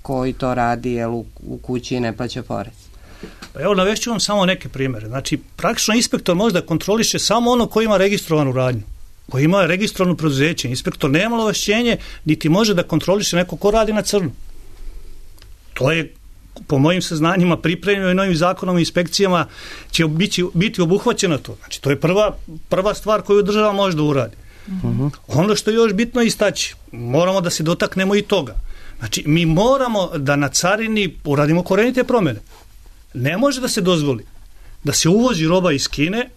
koji to radi, jer u, u kući ne plaća porez. Pa evo, navešću vam samo neke primjere. Znači, praktično inspektor može da kontroliše samo ono koji ima registrovanu radnju, koji ima registrovano preduzeće. Inspektor nema ovlašćenje, niti može da kontroliše neko ko radi na crno. To je, po mojim saznanjima, pripremljeno i novim zakonom i inspekcijama će biti, biti obuhvaćeno to. Znači, to je prva, prva stvar koju država može da uradi. Uh-huh. Ono što je još bitno istaći, moramo da se dotaknemo i toga. Znači, mi moramo da na carini uradimo korenite promjene. Ne može da se dozvoli da se uvozi roba iz Kine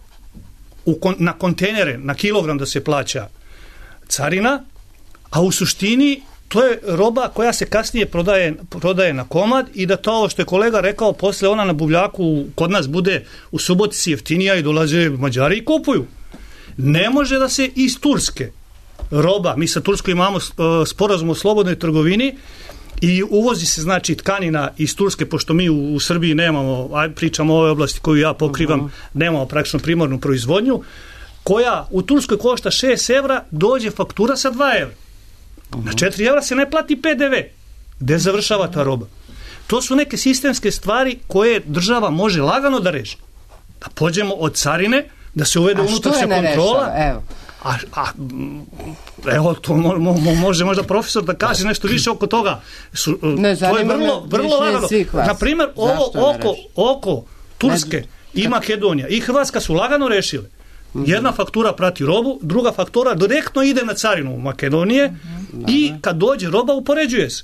u kon, na kontejnere, na kilogram da se plaća carina, a u suštini to je roba koja se kasnije prodaje, prodaje na komad i da to što je kolega rekao, posle ona na buvljaku kod nas bude u Subotici jeftinija i dolaze Mađari i kupuju. Ne može da se iz Turske roba, mi sa Turskom imamo sporazum o slobodnoj trgovini i uvozi se znači tkanina iz Turske, pošto mi u, u Srbiji nemamo, aj pričamo o ovoj oblasti koju ja pokrivam, uh-huh. nemamo praktično primarnu proizvodnju, koja u Turskoj košta šest evra, dođe faktura sa dva evra. Uh-huh. Na četiri evra se ne plati pe de ve. Gde završava ta roba? To su neke sistemske stvari koje država može lagano da reši. Da pođemo od carine, da se uvede unutrašnja kontrola. Evo. A, a evo, to mo, mo, može možda profesor da kaže nešto više oko toga. Su, ne, to je vrlo, vrlo lagano. Na primjer, ovo oko, oko Turske i Makedonija i Hrvatska su lagano rešile. Jedna faktura prati robu, druga faktura direktno ide na carinu Makedonije mm-hmm. i kad dođe roba upoređuje se.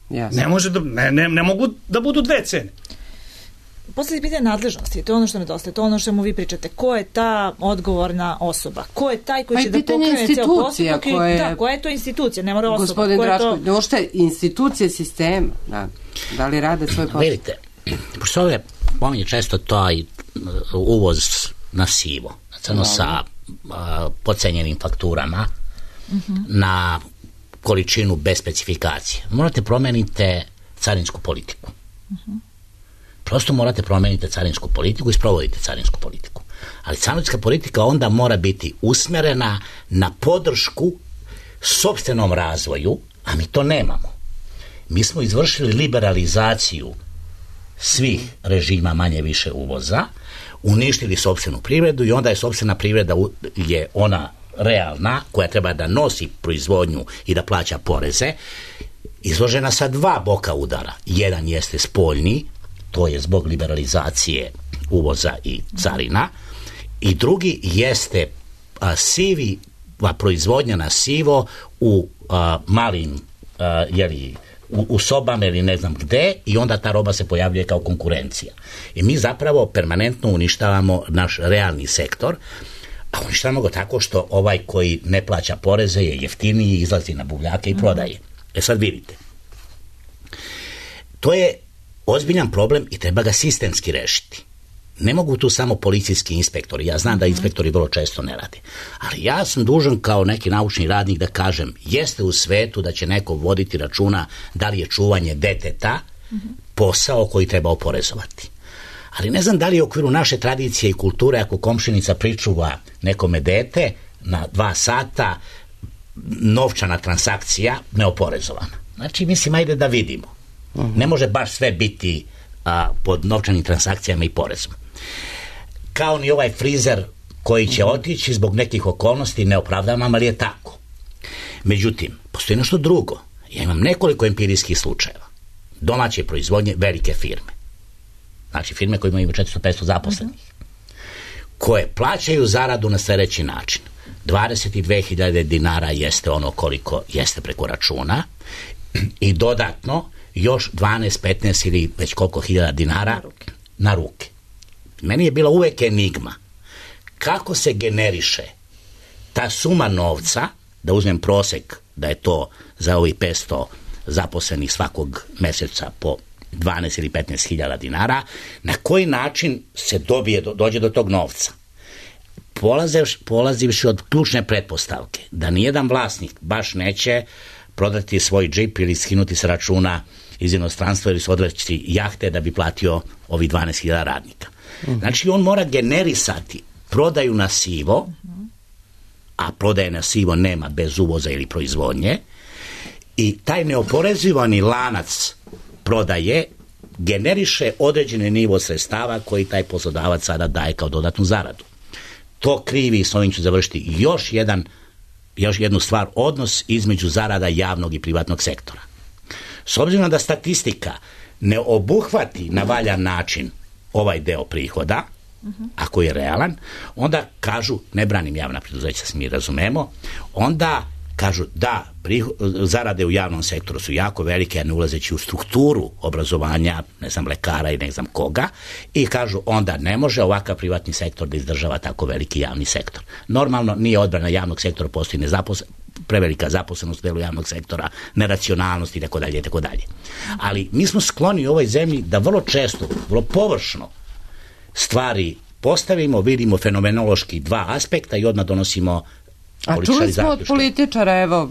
Jasne. Ne, može da, ne, ne, ne mogu da budu dve cene. Posle pitanje nadležnosti, to je ono što nedostaje, to je ono što mu vi pričate. Ko je ta odgovorna osoba? Ko je taj koji će da pokrene ceo postupak? Koje... Da, koja je to institucija? Ne mora osoba. Gospodin Drašković, to... uopšte institucije sistema, da, da li rade svoj posao? Vidite, pošto ovdje pominje često taj uvoz na sivo, crno sa a, pocenjenim fakturama, uh-huh. na količinu bez specifikacije. Morate promenite carinsku politiku. Uh-huh. Prosto morate promeniti carinsku politiku i sprovodite carinsku politiku. Ali carinska politika onda mora biti usmerena na podršku sopstvenom razvoju, a mi to nemamo. Mi smo izvršili liberalizaciju svih režima manje više uvoza, uništili sopstvenu privredu i onda je sopstvena privreda je ona realna, koja treba da nosi proizvodnju i da plaća poreze, izložena sa dva boka udara. Jedan jeste spoljni, to je zbog liberalizacije uvoza i carina, i drugi jeste a, sivi, a, proizvodnja na sivo u a, malim a, jeli, u, u sobama ili ne znam gde, i onda ta roba se pojavljuje kao konkurencija. I mi zapravo permanentno uništavamo naš realni sektor, a uništavamo ga tako što ovaj koji ne plaća poreze je jeftiniji, izlazi na buvljake i prodaje. E sad vidite, to je ozbiljan problem i treba ga sistemski rešiti. Ne mogu tu samo policijski inspektori, ja znam da inspektori vrlo često ne rade, ali ja sam dužan kao neki naučni radnik da kažem, jeste u svetu da će neko voditi računa da li je čuvanje deteta posao koji treba oporezovati. Ali ne znam da li je u okviru naše tradicije i kulture, ako komšinica pričuva nekome dete na dva sata, novčana transakcija neoporezovana. Znači, mislim, ajde da vidimo. Ne može baš sve biti a, pod novčanim transakcijama i porezom. Kao ni ovaj frizer koji će otići zbog nekih okolnosti, ne opravdavam, ali je tako. Međutim, postoji nešto drugo. Ja imam nekoliko empirijskih slučajeva. Domaće proizvodnje, velike firme. Znači firme koje imaju četiristo do petsto zaposlenih. Koje plaćaju zaradu na sljedeći način. dvadeset dve hiljade dinara jeste ono koliko jeste preko računa i dodatno još dvanaest, petnaest ili već koliko hiljada dinara na ruke. na ruke. Meni je bila uvek enigma kako se generiše ta suma novca, da uzmem prosek da je to za ovih petsto zaposlenih svakog meseca po dvanaest ili petnaest hiljada dinara, na koji način se dobije, dođe do tog novca. Polazivši, polazivši od ključne pretpostavke da nijedan vlasnik baš neće prodati svoj džip ili skinuti sa računa iz inostranstva ili se odreći jahte da bi platio ovih dvanaest hiljada radnika. Uh-huh. Znači on mora generisati prodaju na sivo, uh-huh. a prodaje na sivo nema bez uvoza ili proizvodnje, i taj neoporezivani lanac prodaje generiše određeni nivo sredstava koji taj poslodavac sada daje kao dodatnu zaradu. To krivi, s ovim ću završiti, još jedan još jednu stvar, odnos između zarada javnog i privatnog sektora. S obzirom da statistika ne obuhvati na valjan način ovaj deo prihoda, uh-huh. ako je realan, onda kažu, ne branim javna preduzeća, se mi razumemo, onda kažu da prihod, zarade u javnom sektoru su jako velike, a ne ulazeći u strukturu obrazovanja, ne znam, lekara i ne znam koga, i kažu onda ne može ovakav privatni sektor da izdržava tako veliki javni sektor. Normalno nije odbrana javnog sektora, postoji, nezapos, prevelika zaposlenost u delu javnog sektora, neracionalnost i tako dalje i tako dalje. Ali mi smo skloni u ovoj zemlji da vrlo često, vrlo površno stvari postavimo, vidimo fenomenološki dva aspekta i odmah donosimo političari zaključke. A čuli smo od političara, evo,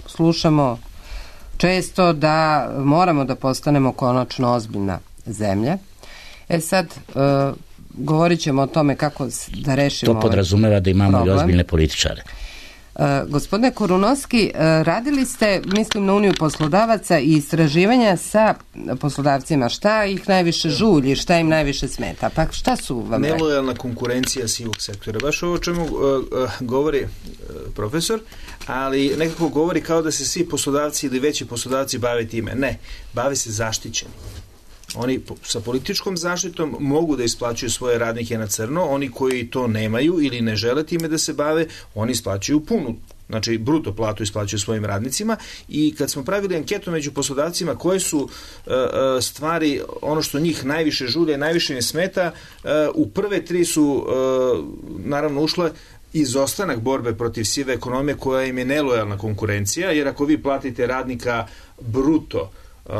slušamo često da moramo da postanemo konačno ozbiljna zemlja. E sad, uh, govorit ćemo o tome kako da rešimo. To podrazumeva da imamo problem. I ozbiljne političare. Uh, gospodine Korunovski, uh, radili ste, mislim, na Uniju poslodavaca i istraživanja sa poslodavcima. Šta ih najviše žulji, šta im najviše smeta? Pa šta su vam rekli? Nelojalna konkurencija sivog sektora. Baš ovo čemu uh, uh, govori uh, profesor, ali nekako govori kao da se svi poslodavci ili veći poslodavci bave time. Ne, bave se zaštićeni. Oni sa političkom zaštitom mogu da isplaćuju svoje radnike na crno, oni koji to nemaju ili ne žele time da se bave, oni isplaćuju punu, znači bruto platu isplaćuju svojim radnicima. I kad smo pravili anketu među poslodavcima koje su uh, stvari, ono što njih najviše žulje, najviše im smeta, uh, u prve tri su uh, naravno ušle izostanak borbe protiv sive ekonomije koja im je nelojalna konkurencija, jer ako vi platite radnika bruto uh,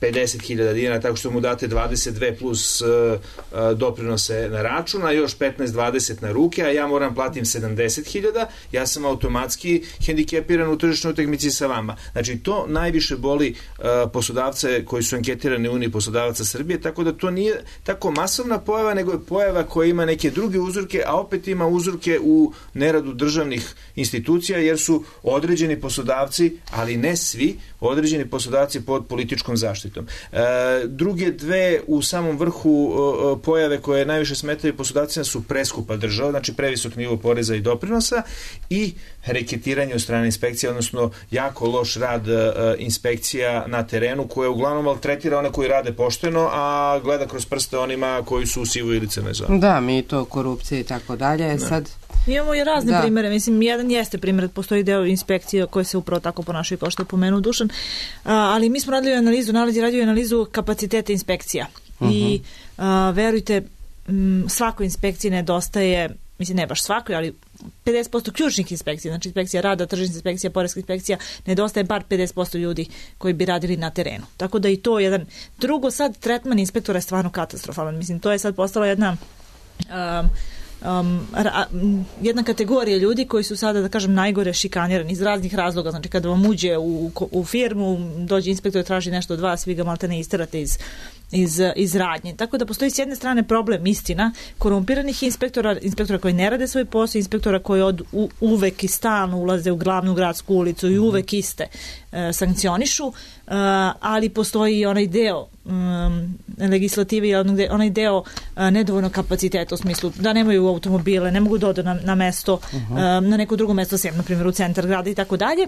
pedeset hiljada dinara, tako što mu date dvadeset dve plus uh, uh, doprinose na račun, a još petnaest dvadeset na ruke, a ja moram platim sedamdeset hiljada, ja sam automatski hendikepiran u tržišnoj utakmici sa vama. Znači, to najviše boli uh, poslodavce koji su anketirani u Uniji poslodavaca Srbije, tako da to nije tako masovna pojava, nego je pojava koja ima neke druge uzroke, a opet ima uzroke u neradu državnih institucija, jer su određeni poslodavci, ali ne svi, određeni poslodavci pod političkom zaštitom. E, druge dve u samom vrhu o, pojave koje najviše smetaju poslodavcima su preskupa država, znači previsok nivo poreza i doprinosa i reketiranje od strane inspekcija, odnosno jako loš rad e, inspekcija na terenu koje uglavnom maltretira one koji rade pošteno, a gleda kroz prste onima koji su u sivoj ili crnoj zoni. Da, mi to korupcija i tako dalje. Sad imamo i razne da. primere, mislim, jedan jeste primjer, postoji deo inspekcije koje se upravo tako ponašaju kao što je pomenuo Dušan, a, ali mi smo radili analizu, nalazi radio analizu kapaciteta inspekcija uh-huh. i a, verujte, m, svakoj inspekciji nedostaje, mislim ne baš svakoj, ali pedeset posto ključnih inspekcija, znači inspekcija rada, tržišna inspekcija, poreska inspekcija, nedostaje bar pedeset posto ljudi koji bi radili na terenu. Tako da i to jedan. Drugo, sad tretman inspektora je stvarno katastrofalan. Mislim, to je sad postala jedna um, Um, ra, jedna kategorija ljudi koji su sada, da kažem, najgore šikanirani iz raznih razloga. Znači, kada vam uđe u, u firmu, dođe inspektor, traži nešto od vas, vi ga malte ne isterate iz, iz, iz radnje. Tako da postoji s jedne strane problem, istina, korumpiranih inspektora, inspektora koji ne rade svoj posao, inspektora koji od, u, uvek i stalno ulaze u glavnu gradsku ulicu i uvek iste e, sankcionišu, e, ali postoji i onaj deo um, legislative i onaj deo uh, nedovoljno kapaciteta u smislu da nemaju automobile, ne mogu da odu na, na mesto, uh-huh. um, na neko drugo mesto, sem, na primjer u centar grada i tako dalje.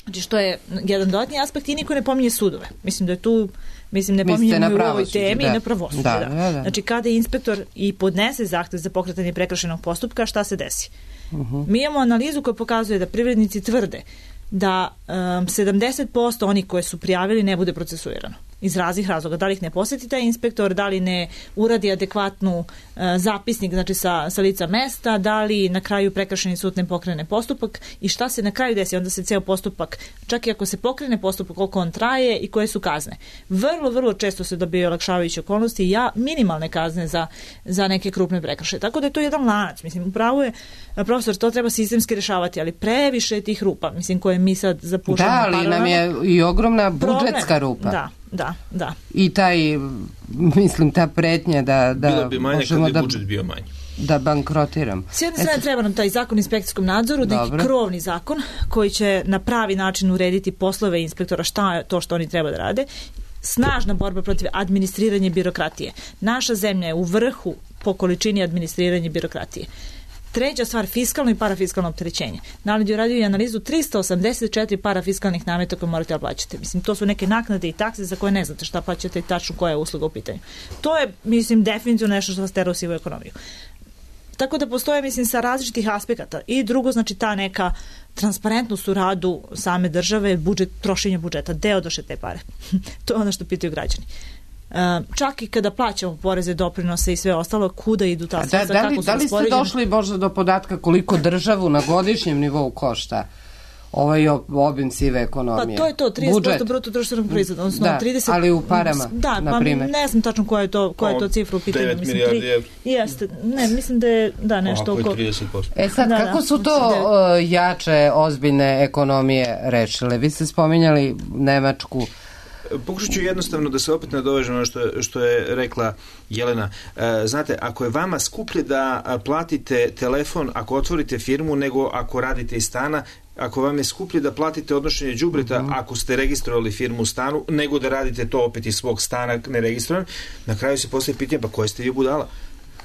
Znači, što je jedan dodatni aspekt i niko ne pominje sudove. Mislim da je tu, mislim ne pominjemo u ovoj temi da. I na pravosuđe. Da, da. Da, da. Znači, kada inspektor i podnese zahtev za pokretanje prekršajnog postupka, šta se desi? Uh-huh. Mi imamo analizu koja pokazuje da privrednici tvrde da um, sedamdeset posto onih koje su prijavili ne bude procesuirano. Iz raznih razloga. Da li ih ne posjeti taj inspektor, da li ne uradi adekvatnu uh, zapisnik, znači sa, sa lica mesta, da li na kraju prekršajni sud ne pokrene postupak i šta se na kraju desi, onda se ceo postupak, čak i ako se pokrene postupak, koliko on traje i koje su kazne. Vrlo, vrlo često se dobije olakšavajuće okolnosti i ja, minimalne kazne za, za neke krupne prekršaje. Tako da je to jedan lanac. Mislim, upravo je, profesor, to treba sistemski rešavati, ali previše tih rupa, mislim, koje mi sad zapušamo. Da, ali nam je i ogromna budžetska rupa. Da. Da, da. I taj, mislim, ta pretnja da, da bilo bi manje kad bi da, budžet bio manji. Da bankrotiram. S jedne strane treba nam taj zakon o inspekcijskom nadzoru, Dobre. neki krovni zakon koji će na pravi način urediti poslove inspektora, šta je to što oni treba da rade. Snažna borba protiv administriranja birokratije. Naša zemlja je u vrhu po količini administriranja birokratije. Treća stvar, fiskalno i parafiskalno opterećenje. Naledi uradio i analizu tristo osamdeset četiri parafiskalnih nameta koje morate da plaćate. Mislim, to su neke naknade i takse za koje ne znate šta plaćate i tačno koja je usluga u pitanju. To je, mislim, definitivno nešto što vas tera u sivu ekonomiju. Tako da postoje, mislim, sa različitih aspekata. I drugo, znači, ta neka transparentnost u radu same države, budžet, trošenje budžeta, deo doše te pare. To je ono što pitaju građani. Uh, čak i kada plaćamo poreze, doprinose i sve ostalo, kuda idu ta sredstva, da, da li, kako su da li ste došli možda do podatka koliko državu na godišnjem nivou košta ovaj obim sive ekonomije. Pa to je to, trideset posto bruto društvenog proizvoda, odnosno da, trideset... ali u parama, da, na pa primjer. Ne znam tačno koja je to, koja je to cifra u pitanju. devet milijardi evra. Jeste, ne, mislim da je da, nešto oko... trideset posto. E sad, da, kako da, su to uh, jače, ozbiljne ekonomije rešile? Vi ste spominjali Nemačku. Pokušat ću jednostavno da se opet nadovežem ono što, što je rekla Jelena. E, znate, ako je vama skuplje da platite telefon ako otvorite firmu nego ako radite iz stana, ako vam je skuplje da platite odnošenje đubreta mm-hmm. ako ste registrovali firmu u stanu, nego da radite to opet iz svog stana neregistrovan, na kraju se postaje pitanje, pa koje ste vi budala?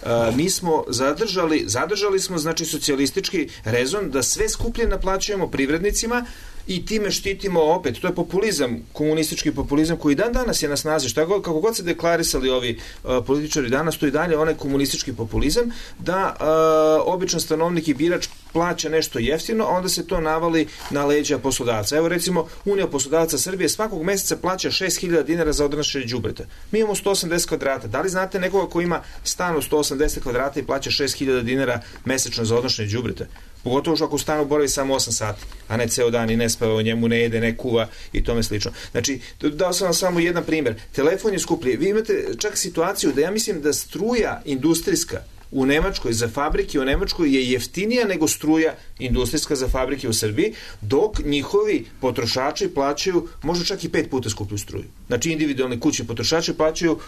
Uh, mi smo zadržali, zadržali smo znači socijalistički rezon da sve skuplje naplaćujemo privrednicima i time štitimo opet, to je populizam, komunistički populizam koji dan danas je na snazi, šta god, kako god se deklarisali ovi uh, političari danas, to i dalje onaj komunistički populizam da uh, običan stanovnik i birač plaća nešto jeftino, a onda se to navali na leđa poslodavca. Evo recimo, Unija poslodavaca Srbije svakog meseca plaća šest hiljada dinara za odnošenje đubreta. Mi imamo sto osamdeset kvadrata. Da li znate nekoga ko ima stan od sto osamdeset kvadrata i plaća šest hiljada dinara mesečno za odnošenje đubreta? Pogotovo što ako u stanu boravi samo osam sati, a ne ceo dan i ne spava o njemu, ne jede, ne kuva i tome slično. Znači, dao sam vam samo jedan primjer. Telefon je skuplji. Vi imate čak situaciju da ja mislim da struja industrijska u Nemačkoj za fabrike u Nemačkoj je jeftinija nego struja industrijska za fabrike u Srbiji, dok njihovi potrošači plaćaju možda čak i pet puta skuplju struju. Znači, individualni kućni potrošači plaćaju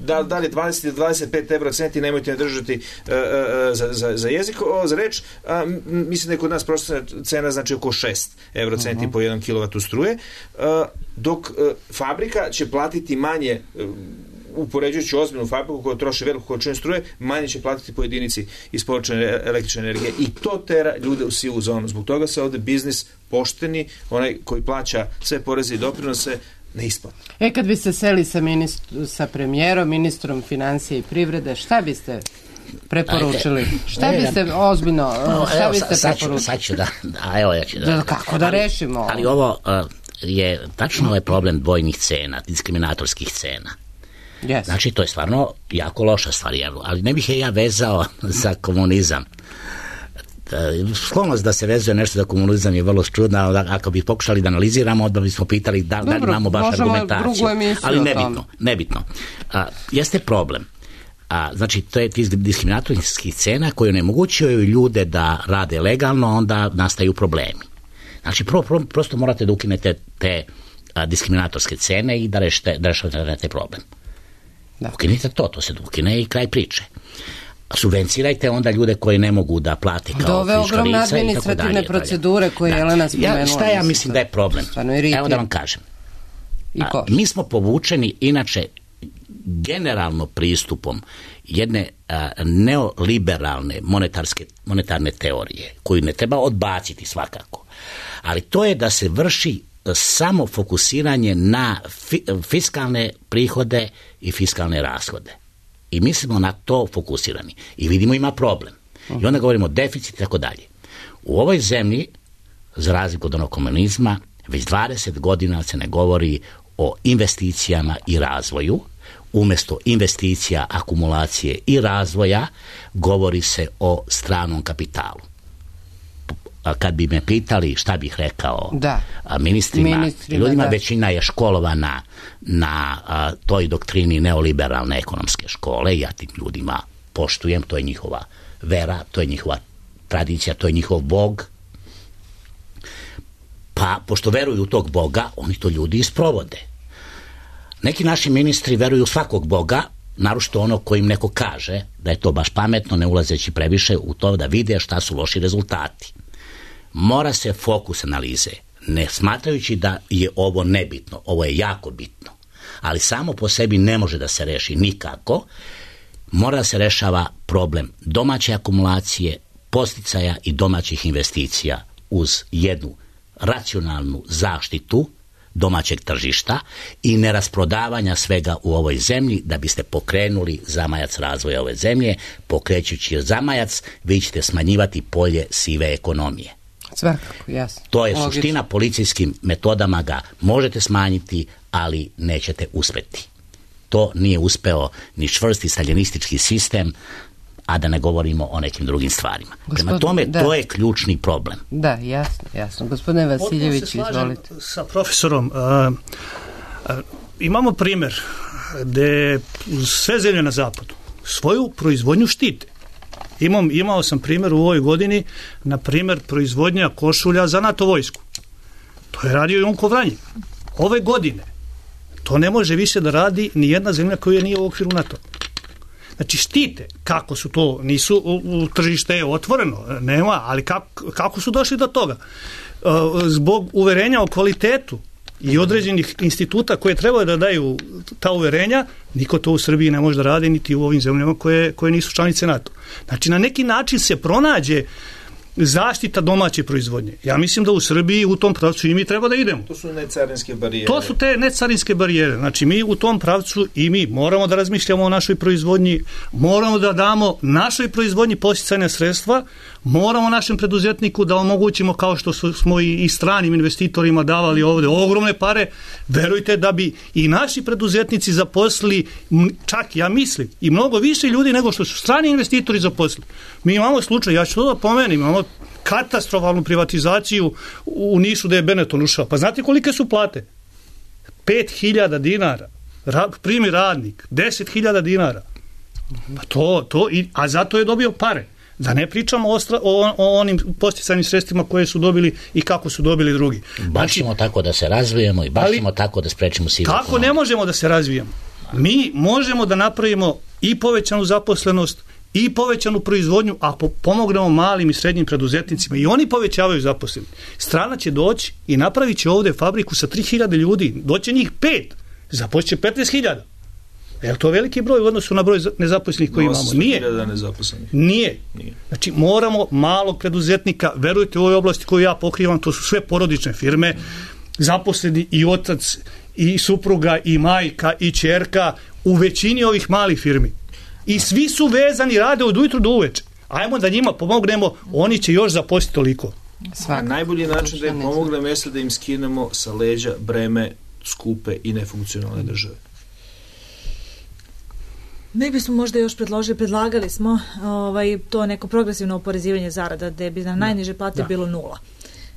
da dalje dvadeset do dvadeset pet evra centi, nemojte ne držati uh, uh, za, za, za jezik, o, za reč, uh, mislim da je kod nas prosječna cena znači oko šest evro centi uh-huh. po jedan kilovatu struje, uh, dok uh, fabrika će platiti manje, uh, upoređujući ozbiljnu fabriku koja troši veliku količinu struje, manje će platiti po jedinici isporučene električne energije i to tera ljude u sivu zonu. Zbog toga se ovde biznis pošteni, onaj koji plaća sve poreze i doprinose, ne isplati. E, kad biste seli sa, ministru, sa premijerom, ministrom financije i privrede, šta biste preporučili? Ajde. Šta ne, biste ozbiljno, no, šta evo, biste sa, preporučili? Sad ću da, da, evo ja ću da... da kako da ali, rešimo? Ali ovo uh, je tačno ovaj problem dvojnih cena, diskriminatorskih cena. Yes. Znači, to je stvarno jako loša stvar, ali ne bih je ja vezao za komunizam. Sklonost da se vezuje nešto za komunizam je vrlo čudna, ako bi pokušali da analiziramo, odmah bismo pitali da, da li imamo baš argumentaciju, ali nebitno, nebitno. A, jeste problem. A, znači, to je diskriminatorskih cena koje onemogućuju ljude da rade legalno, onda nastaju problemi. Znači, pro, pro, prosto morate da ukinete te a, diskriminatorske cene i da rešite, da rešite te problem. Da. Ukinite to, to se ukine i kraj priče. Subvencirajte onda ljude koji ne mogu da plate kao fiška lica i tako dalje. Ove ogromne administrativne procedure koje je Jelena spomenula. Ja, šta ja mislim da je problem? Evo da vam kažem. A, mi smo povučeni inače generalno pristupom jedne a, neoliberalne monetarske, monetarne teorije koju ne treba odbaciti svakako. Ali to je da se vrši samo fokusiranje na fi, fiskalne prihode i fiskalne rashode. I mi smo na to fokusirani. I vidimo ima problem. I onda govorimo o deficitu i tako dalje. U ovoj zemlji, za razliku od onog komunizma, već dvadeset godina se ne govori o investicijama i razvoju. Umjesto investicija, akumulacije i razvoja, govori se o stranom kapitalu. Kad bi me pitali šta bih rekao da. ministrima, ministrima ljudima da. većina je školovana na a, toj doktrini neoliberalne ekonomske škole, ja tim ljudima poštujem, to je njihova vera, to je njihova tradicija, to je njihov bog. Pa, pošto veruju u tog boga, oni to ljudi isprovode. Neki naši ministri veruju svakog boga, naročito ono kojim neko kaže da je to baš pametno, ne ulazeći previše u to da vide šta su loši rezultati. Mora se fokus analize, ne smatrajući da je ovo nebitno, ovo je jako bitno, ali samo po sebi ne može da se reši nikako, mora da se rešava problem domaće akumulacije, podsticaja i domaćih investicija uz jednu racionalnu zaštitu domaćeg tržišta i nerasprodavanja svega u ovoj zemlji da biste pokrenuli zamajac razvoja ove zemlje. Pokrećući zamajac, vi ćete smanjivati polje sive ekonomije. Svakako, jasno. To je Logično. Suština, policijskim metodama ga možete smanjiti, ali nećete uspeti. To nije uspeo ni čvrsti staljinistički sistem, a da ne govorimo o nekim drugim stvarima. Gospodin, Prema tome, da. to je ključni problem. Da, jasno, jasno. Gospodine Vasiljević, izvolite. Sa profesorom, a, a, imamo primjer gde sve zemlje na zapadu svoju proizvodnju štite. Imam, imao sam primjer u ovoj godini, na primjer proizvodnja košulja za NATO vojsku. To je radio Jonko Vranjik. Ove godine to ne može više da radi ni jedna zemlja koja nije u okviru NATO. Znači štite, kako su to, nisu, u, u tržište je otvoreno, nema, ali kako, kako su došli do toga? E, zbog uverenja o kvalitetu i određenih instituta koje trebaju da daju ta uverenja, niko to u Srbiji ne može da radi, niti u ovim zemljama koje, koje nisu članice NATO. Znači na neki način se pronađe zaštita domaće proizvodnje. Ja mislim da u Srbiji u tom pravcu i mi treba da idemo. To su necarinske barijere. To su te necarinske barijere. Znači mi u tom pravcu i mi moramo da razmišljamo o našoj proizvodnji, moramo da damo našoj proizvodnji podsticajna sredstva, moramo našem preduzetniku da omogućimo, kao što smo i, i stranim investitorima davali ovde ogromne pare, verujte da bi i naši preduzetnici zaposlili, čak ja mislim, i mnogo više ljudi nego što su strani investitori zaposlili. Mi imamo slučaj, ja ću to da pomenem, imamo katastrofalnu privatizaciju u Nišu gde je Benetton ušao. Pa znate kolike su plate? pet hiljada dinara. Ra, primi radnik. deset hiljada dinara. Pa to, to, a zato je dobio pare. Da ne pričamo o, o, o onim podsticajnim sredstvima koje su dobili i kako su dobili drugi. Baš ćemo znači, tako da se razvijemo i baš ćemo tako da sprečimo sivu ekonomiju. Kako ne možemo da se razvijamo? Mi možemo da napravimo i povećanu zaposlenost i povećanu proizvodnju ako pomognemo malim i srednjim preduzetnicima i oni povećavaju zaposleni. Strana će doći i napravit će ovde fabriku sa tri hiljade ljudi, doće njih pet, zapošće petnaest hiljada. Je li to veliki broj u odnosu na broj nezaposlenih koji imamo? Nije. Nije. Nije. Znači moramo malog preduzetnika, verujte u ovoj oblasti koju ja pokrivam, to su sve porodične firme, zaposleni i otac i supruga i majka i ćerka u većini ovih malih firmi. I svi su vezani, rade od ujutru do uveče. Ajmo da njima pomognemo, oni će još zaposliti toliko. Svaka. Najbolji način da im pomognemo jeste da im skinemo sa leđa breme skupe i nefunkcionalne države. Mi bismo možda još predložili, predlagali smo ovaj, to neko progresivno oporezivanje zarada gde bi na najniže plate da. bilo nula.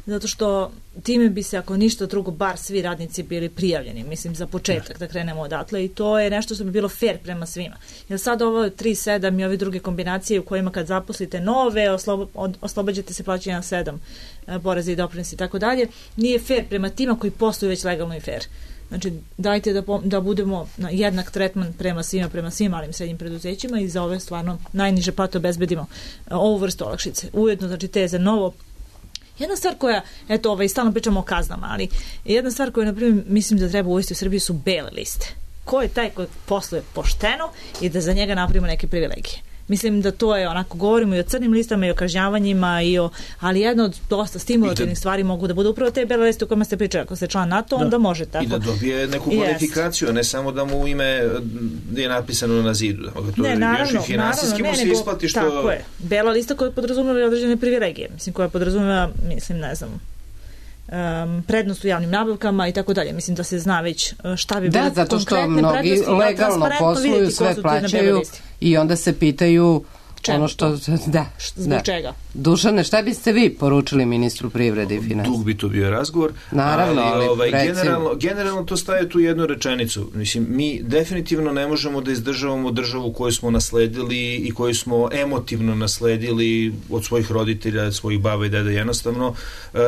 Zato što time bi se, ako ništa drugo, bar svi radnici bili prijavljeni, mislim, za početak, da krenemo odatle, i to je nešto što bi bilo fair prema svima. Jer sad ovo tri sedam i ove druge kombinacije u kojima kad zaposlite nove, oslobo, od, oslobađate se plaćanja na sedam poreza i doprinosi i tako dalje, nije fair prema tima koji posluju već legalno i fair. Znači, dajte da, da budemo na jednak tretman prema svima, prema svim malim i srednjim preduzećima i za ove stvarno najniže plate obezbedimo ovu vrstu olakšice. Ujedno, znači, te za novo. Jedna stvar koja, eto, ovaj, stalno pričamo o kaznama, ali jedna stvar koja, na primjer, mislim da treba uvesti u Srbiji su bele liste. Ko je taj koji posluje pošteno i da za njega napravimo neke privilegije. Mislim da to je, onako, govorimo i o crnim listama i o kažnjavanjima, i o, ali jedno od dosta stimulativnih stvari mogu da bude upravo te bele liste u kojima ste pričali. Ako ste član NATO, da. onda može tako. I da dobije neku kvalifikaciju, yes. ne samo da mu ime je napisano na zidu. To ne, je naravno, još i finansijski mu se isplati što... Tako je. Bela lista koja podrazumeva određene privilegije. Mislim, koja podrazumeva, mislim, ne znam, Um, prednost u javnim nabavkama i tako dalje. Mislim da se zna već šta bi bilo da, zato što mnogi legalno posluju, sve plaćaju i onda se pitaju Čemu ono što... Da, zbog da. čega? Dušane, šta biste vi poručili ministru privrede i financija? Dug bi to bio razgovor. Naravno, ali, ali ovaj, generalno, generalno to staje tu jednu rečenicu. Mislim, mi definitivno ne možemo da izdržavamo državu koju smo nasledili i koju smo emotivno nasledili od svojih roditelja, od svojih baba i deda. Jednostavno,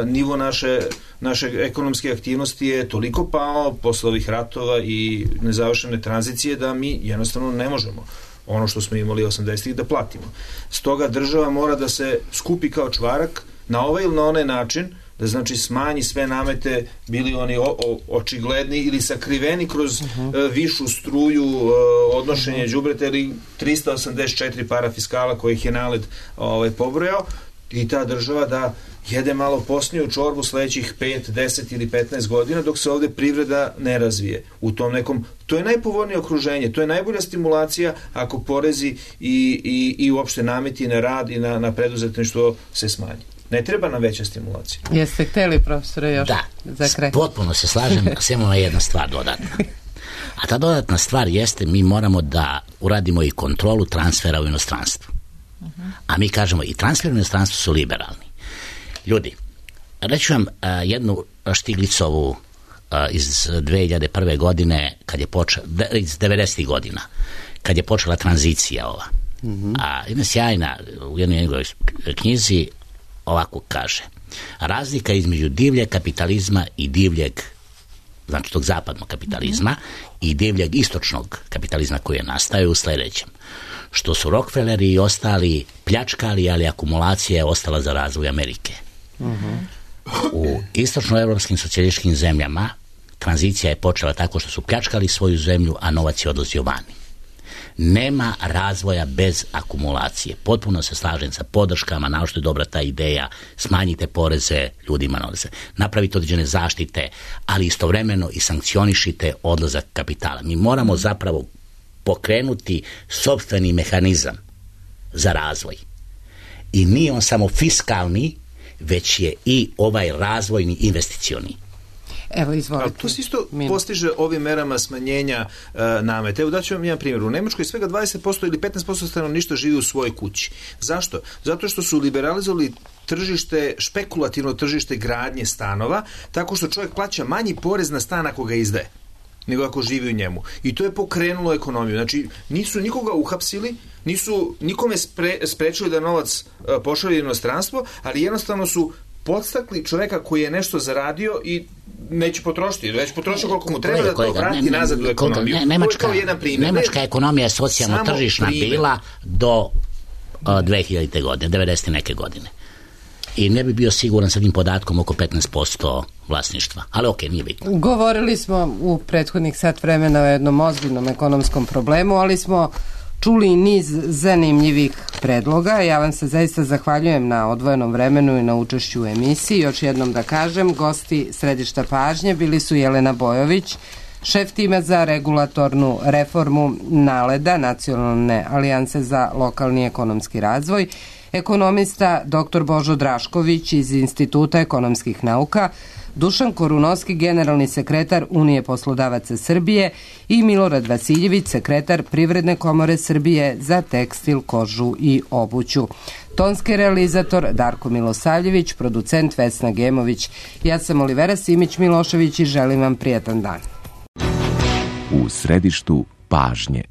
nivo naše, naše ekonomske aktivnosti je toliko pao posle ovih ratova i nezavršene tranzicije da mi jednostavno ne možemo ono što smo imali osamdesetih da platimo. Stoga država mora da se skupi kao čvarak na ovaj ili na onaj način, da znači smanji sve namete, bili oni o, o, očigledni ili sakriveni kroz uh-huh. uh, višu struju uh, odnošenje đubreta ili trista osamdeset četiri parafiskala kojih je NALED ovaj, pobrojao, i ta država da jede malo posniju čorbu sledećih pet, deset ili petnaest godina dok se ovde privreda ne razvije. U tom nekom, to je najpovoljnije okruženje, to je najbolja stimulacija ako porezi i, i, i uopšte nameti na rad i na, na preduzetništvo se smanji. Ne treba nam veća stimulacija. Jeste hteli, profesore, još da, za kraj? Da, potpuno se slažem, samo na jedna stvar dodatna. A ta dodatna stvar jeste, mi moramo da uradimo i kontrolu transfera u inostranstvu. A mi kažemo i transfer u inostranstvu su liberalni. Ljudi, reću vam uh, jednu Štiglicovu uh, iz dve hiljade prve. godine, kad je počela, iz devedesetih godina, kad je počela tranzicija ova. Mm-hmm. A jedna sjajna, u jednoj njegovoj knjizi ovako kaže: razlika između divljeg kapitalizma i divljeg, znači tog zapadnog kapitalizma, mm-hmm. i divljeg istočnog kapitalizma koji je nastao u sljedećem: što su Rockefelleri i ostali pljačkali, ali akumulacija je ostala za razvoj Amerike. Mm-hmm. U istočnoevropskim socijalističkim zemljama tranzicija je počela tako što su pljačkali svoju zemlju, a novac je odlazio vani. Nema razvoja bez akumulacije. Potpuno se slažem sa podrškama, na što je dobra ta ideja: smanjite poreze ljudima, nose, napravite određene zaštite, ali istovremeno i sankcionišite odlazak kapitala. Mi moramo zapravo pokrenuti sopstveni mehanizam za razvoj. I nije on samo fiskalni, već je i ovaj razvojni investicioni. Evo, izvolite. Ali to se isto postiže ovim merama smanjenja uh, nameta. Evo daću vam jedan primjer. U Nemačkoj svega dvadeset posto ili petnaest posto stanovništva živi u svojoj kući. Zašto? Zato što su liberalizovali tržište, špekulativno tržište gradnje stanova, tako što čovjek plaća manji porez na stan ako ga izdaje, nego ako živi u njemu. I to je pokrenulo ekonomiju. Znači, nisu nikoga uhapsili, nisu nikome spre, sprečili da novac uh, pošalje u inostranstvo, ali jednostavno su podstakli čovjeka koji je nešto zaradio i neće potrošiti, već potrošio koliko mu treba da to vrati ne, nazad u ekonomiju. Ne, Nemačka, jedan primjer. Nemačka ekonomija je socijalno tržišna bila do uh, dve hiljadite. godine, devedeset neke godine. I ne bi bio siguran sa tim podatkom oko petnaest posto vlasništva. Ali ok, nije bitno. Govorili smo u prethodnih sat vremena o jednom ozbiljnom ekonomskom problemu, ali smo čuli i niz zanimljivih predloga. Ja vam se zaista zahvaljujem na odvojenom vremenu i na učešću u emisiji. Još jednom da kažem, gosti Središta pažnje bili su Jelena Bojović, šef tima za regulatornu reformu NALED-a, Nacionalne alijanse za lokalni ekonomski razvoj, ekonomista doktor Božo Drašković iz Instituta ekonomskih nauka, Dušan Korunovski, generalni sekretar Unije poslodavaca Srbije i Milorad Vasiljević, sekretar Privredne komore Srbije za tekstil, kožu i obuću. Tonski realizator Darko Milosavljević, producent Vesna Gemović. Ja sam Olivera Simić-Milošević i želim vam prijatan dan. U središtu pažnje.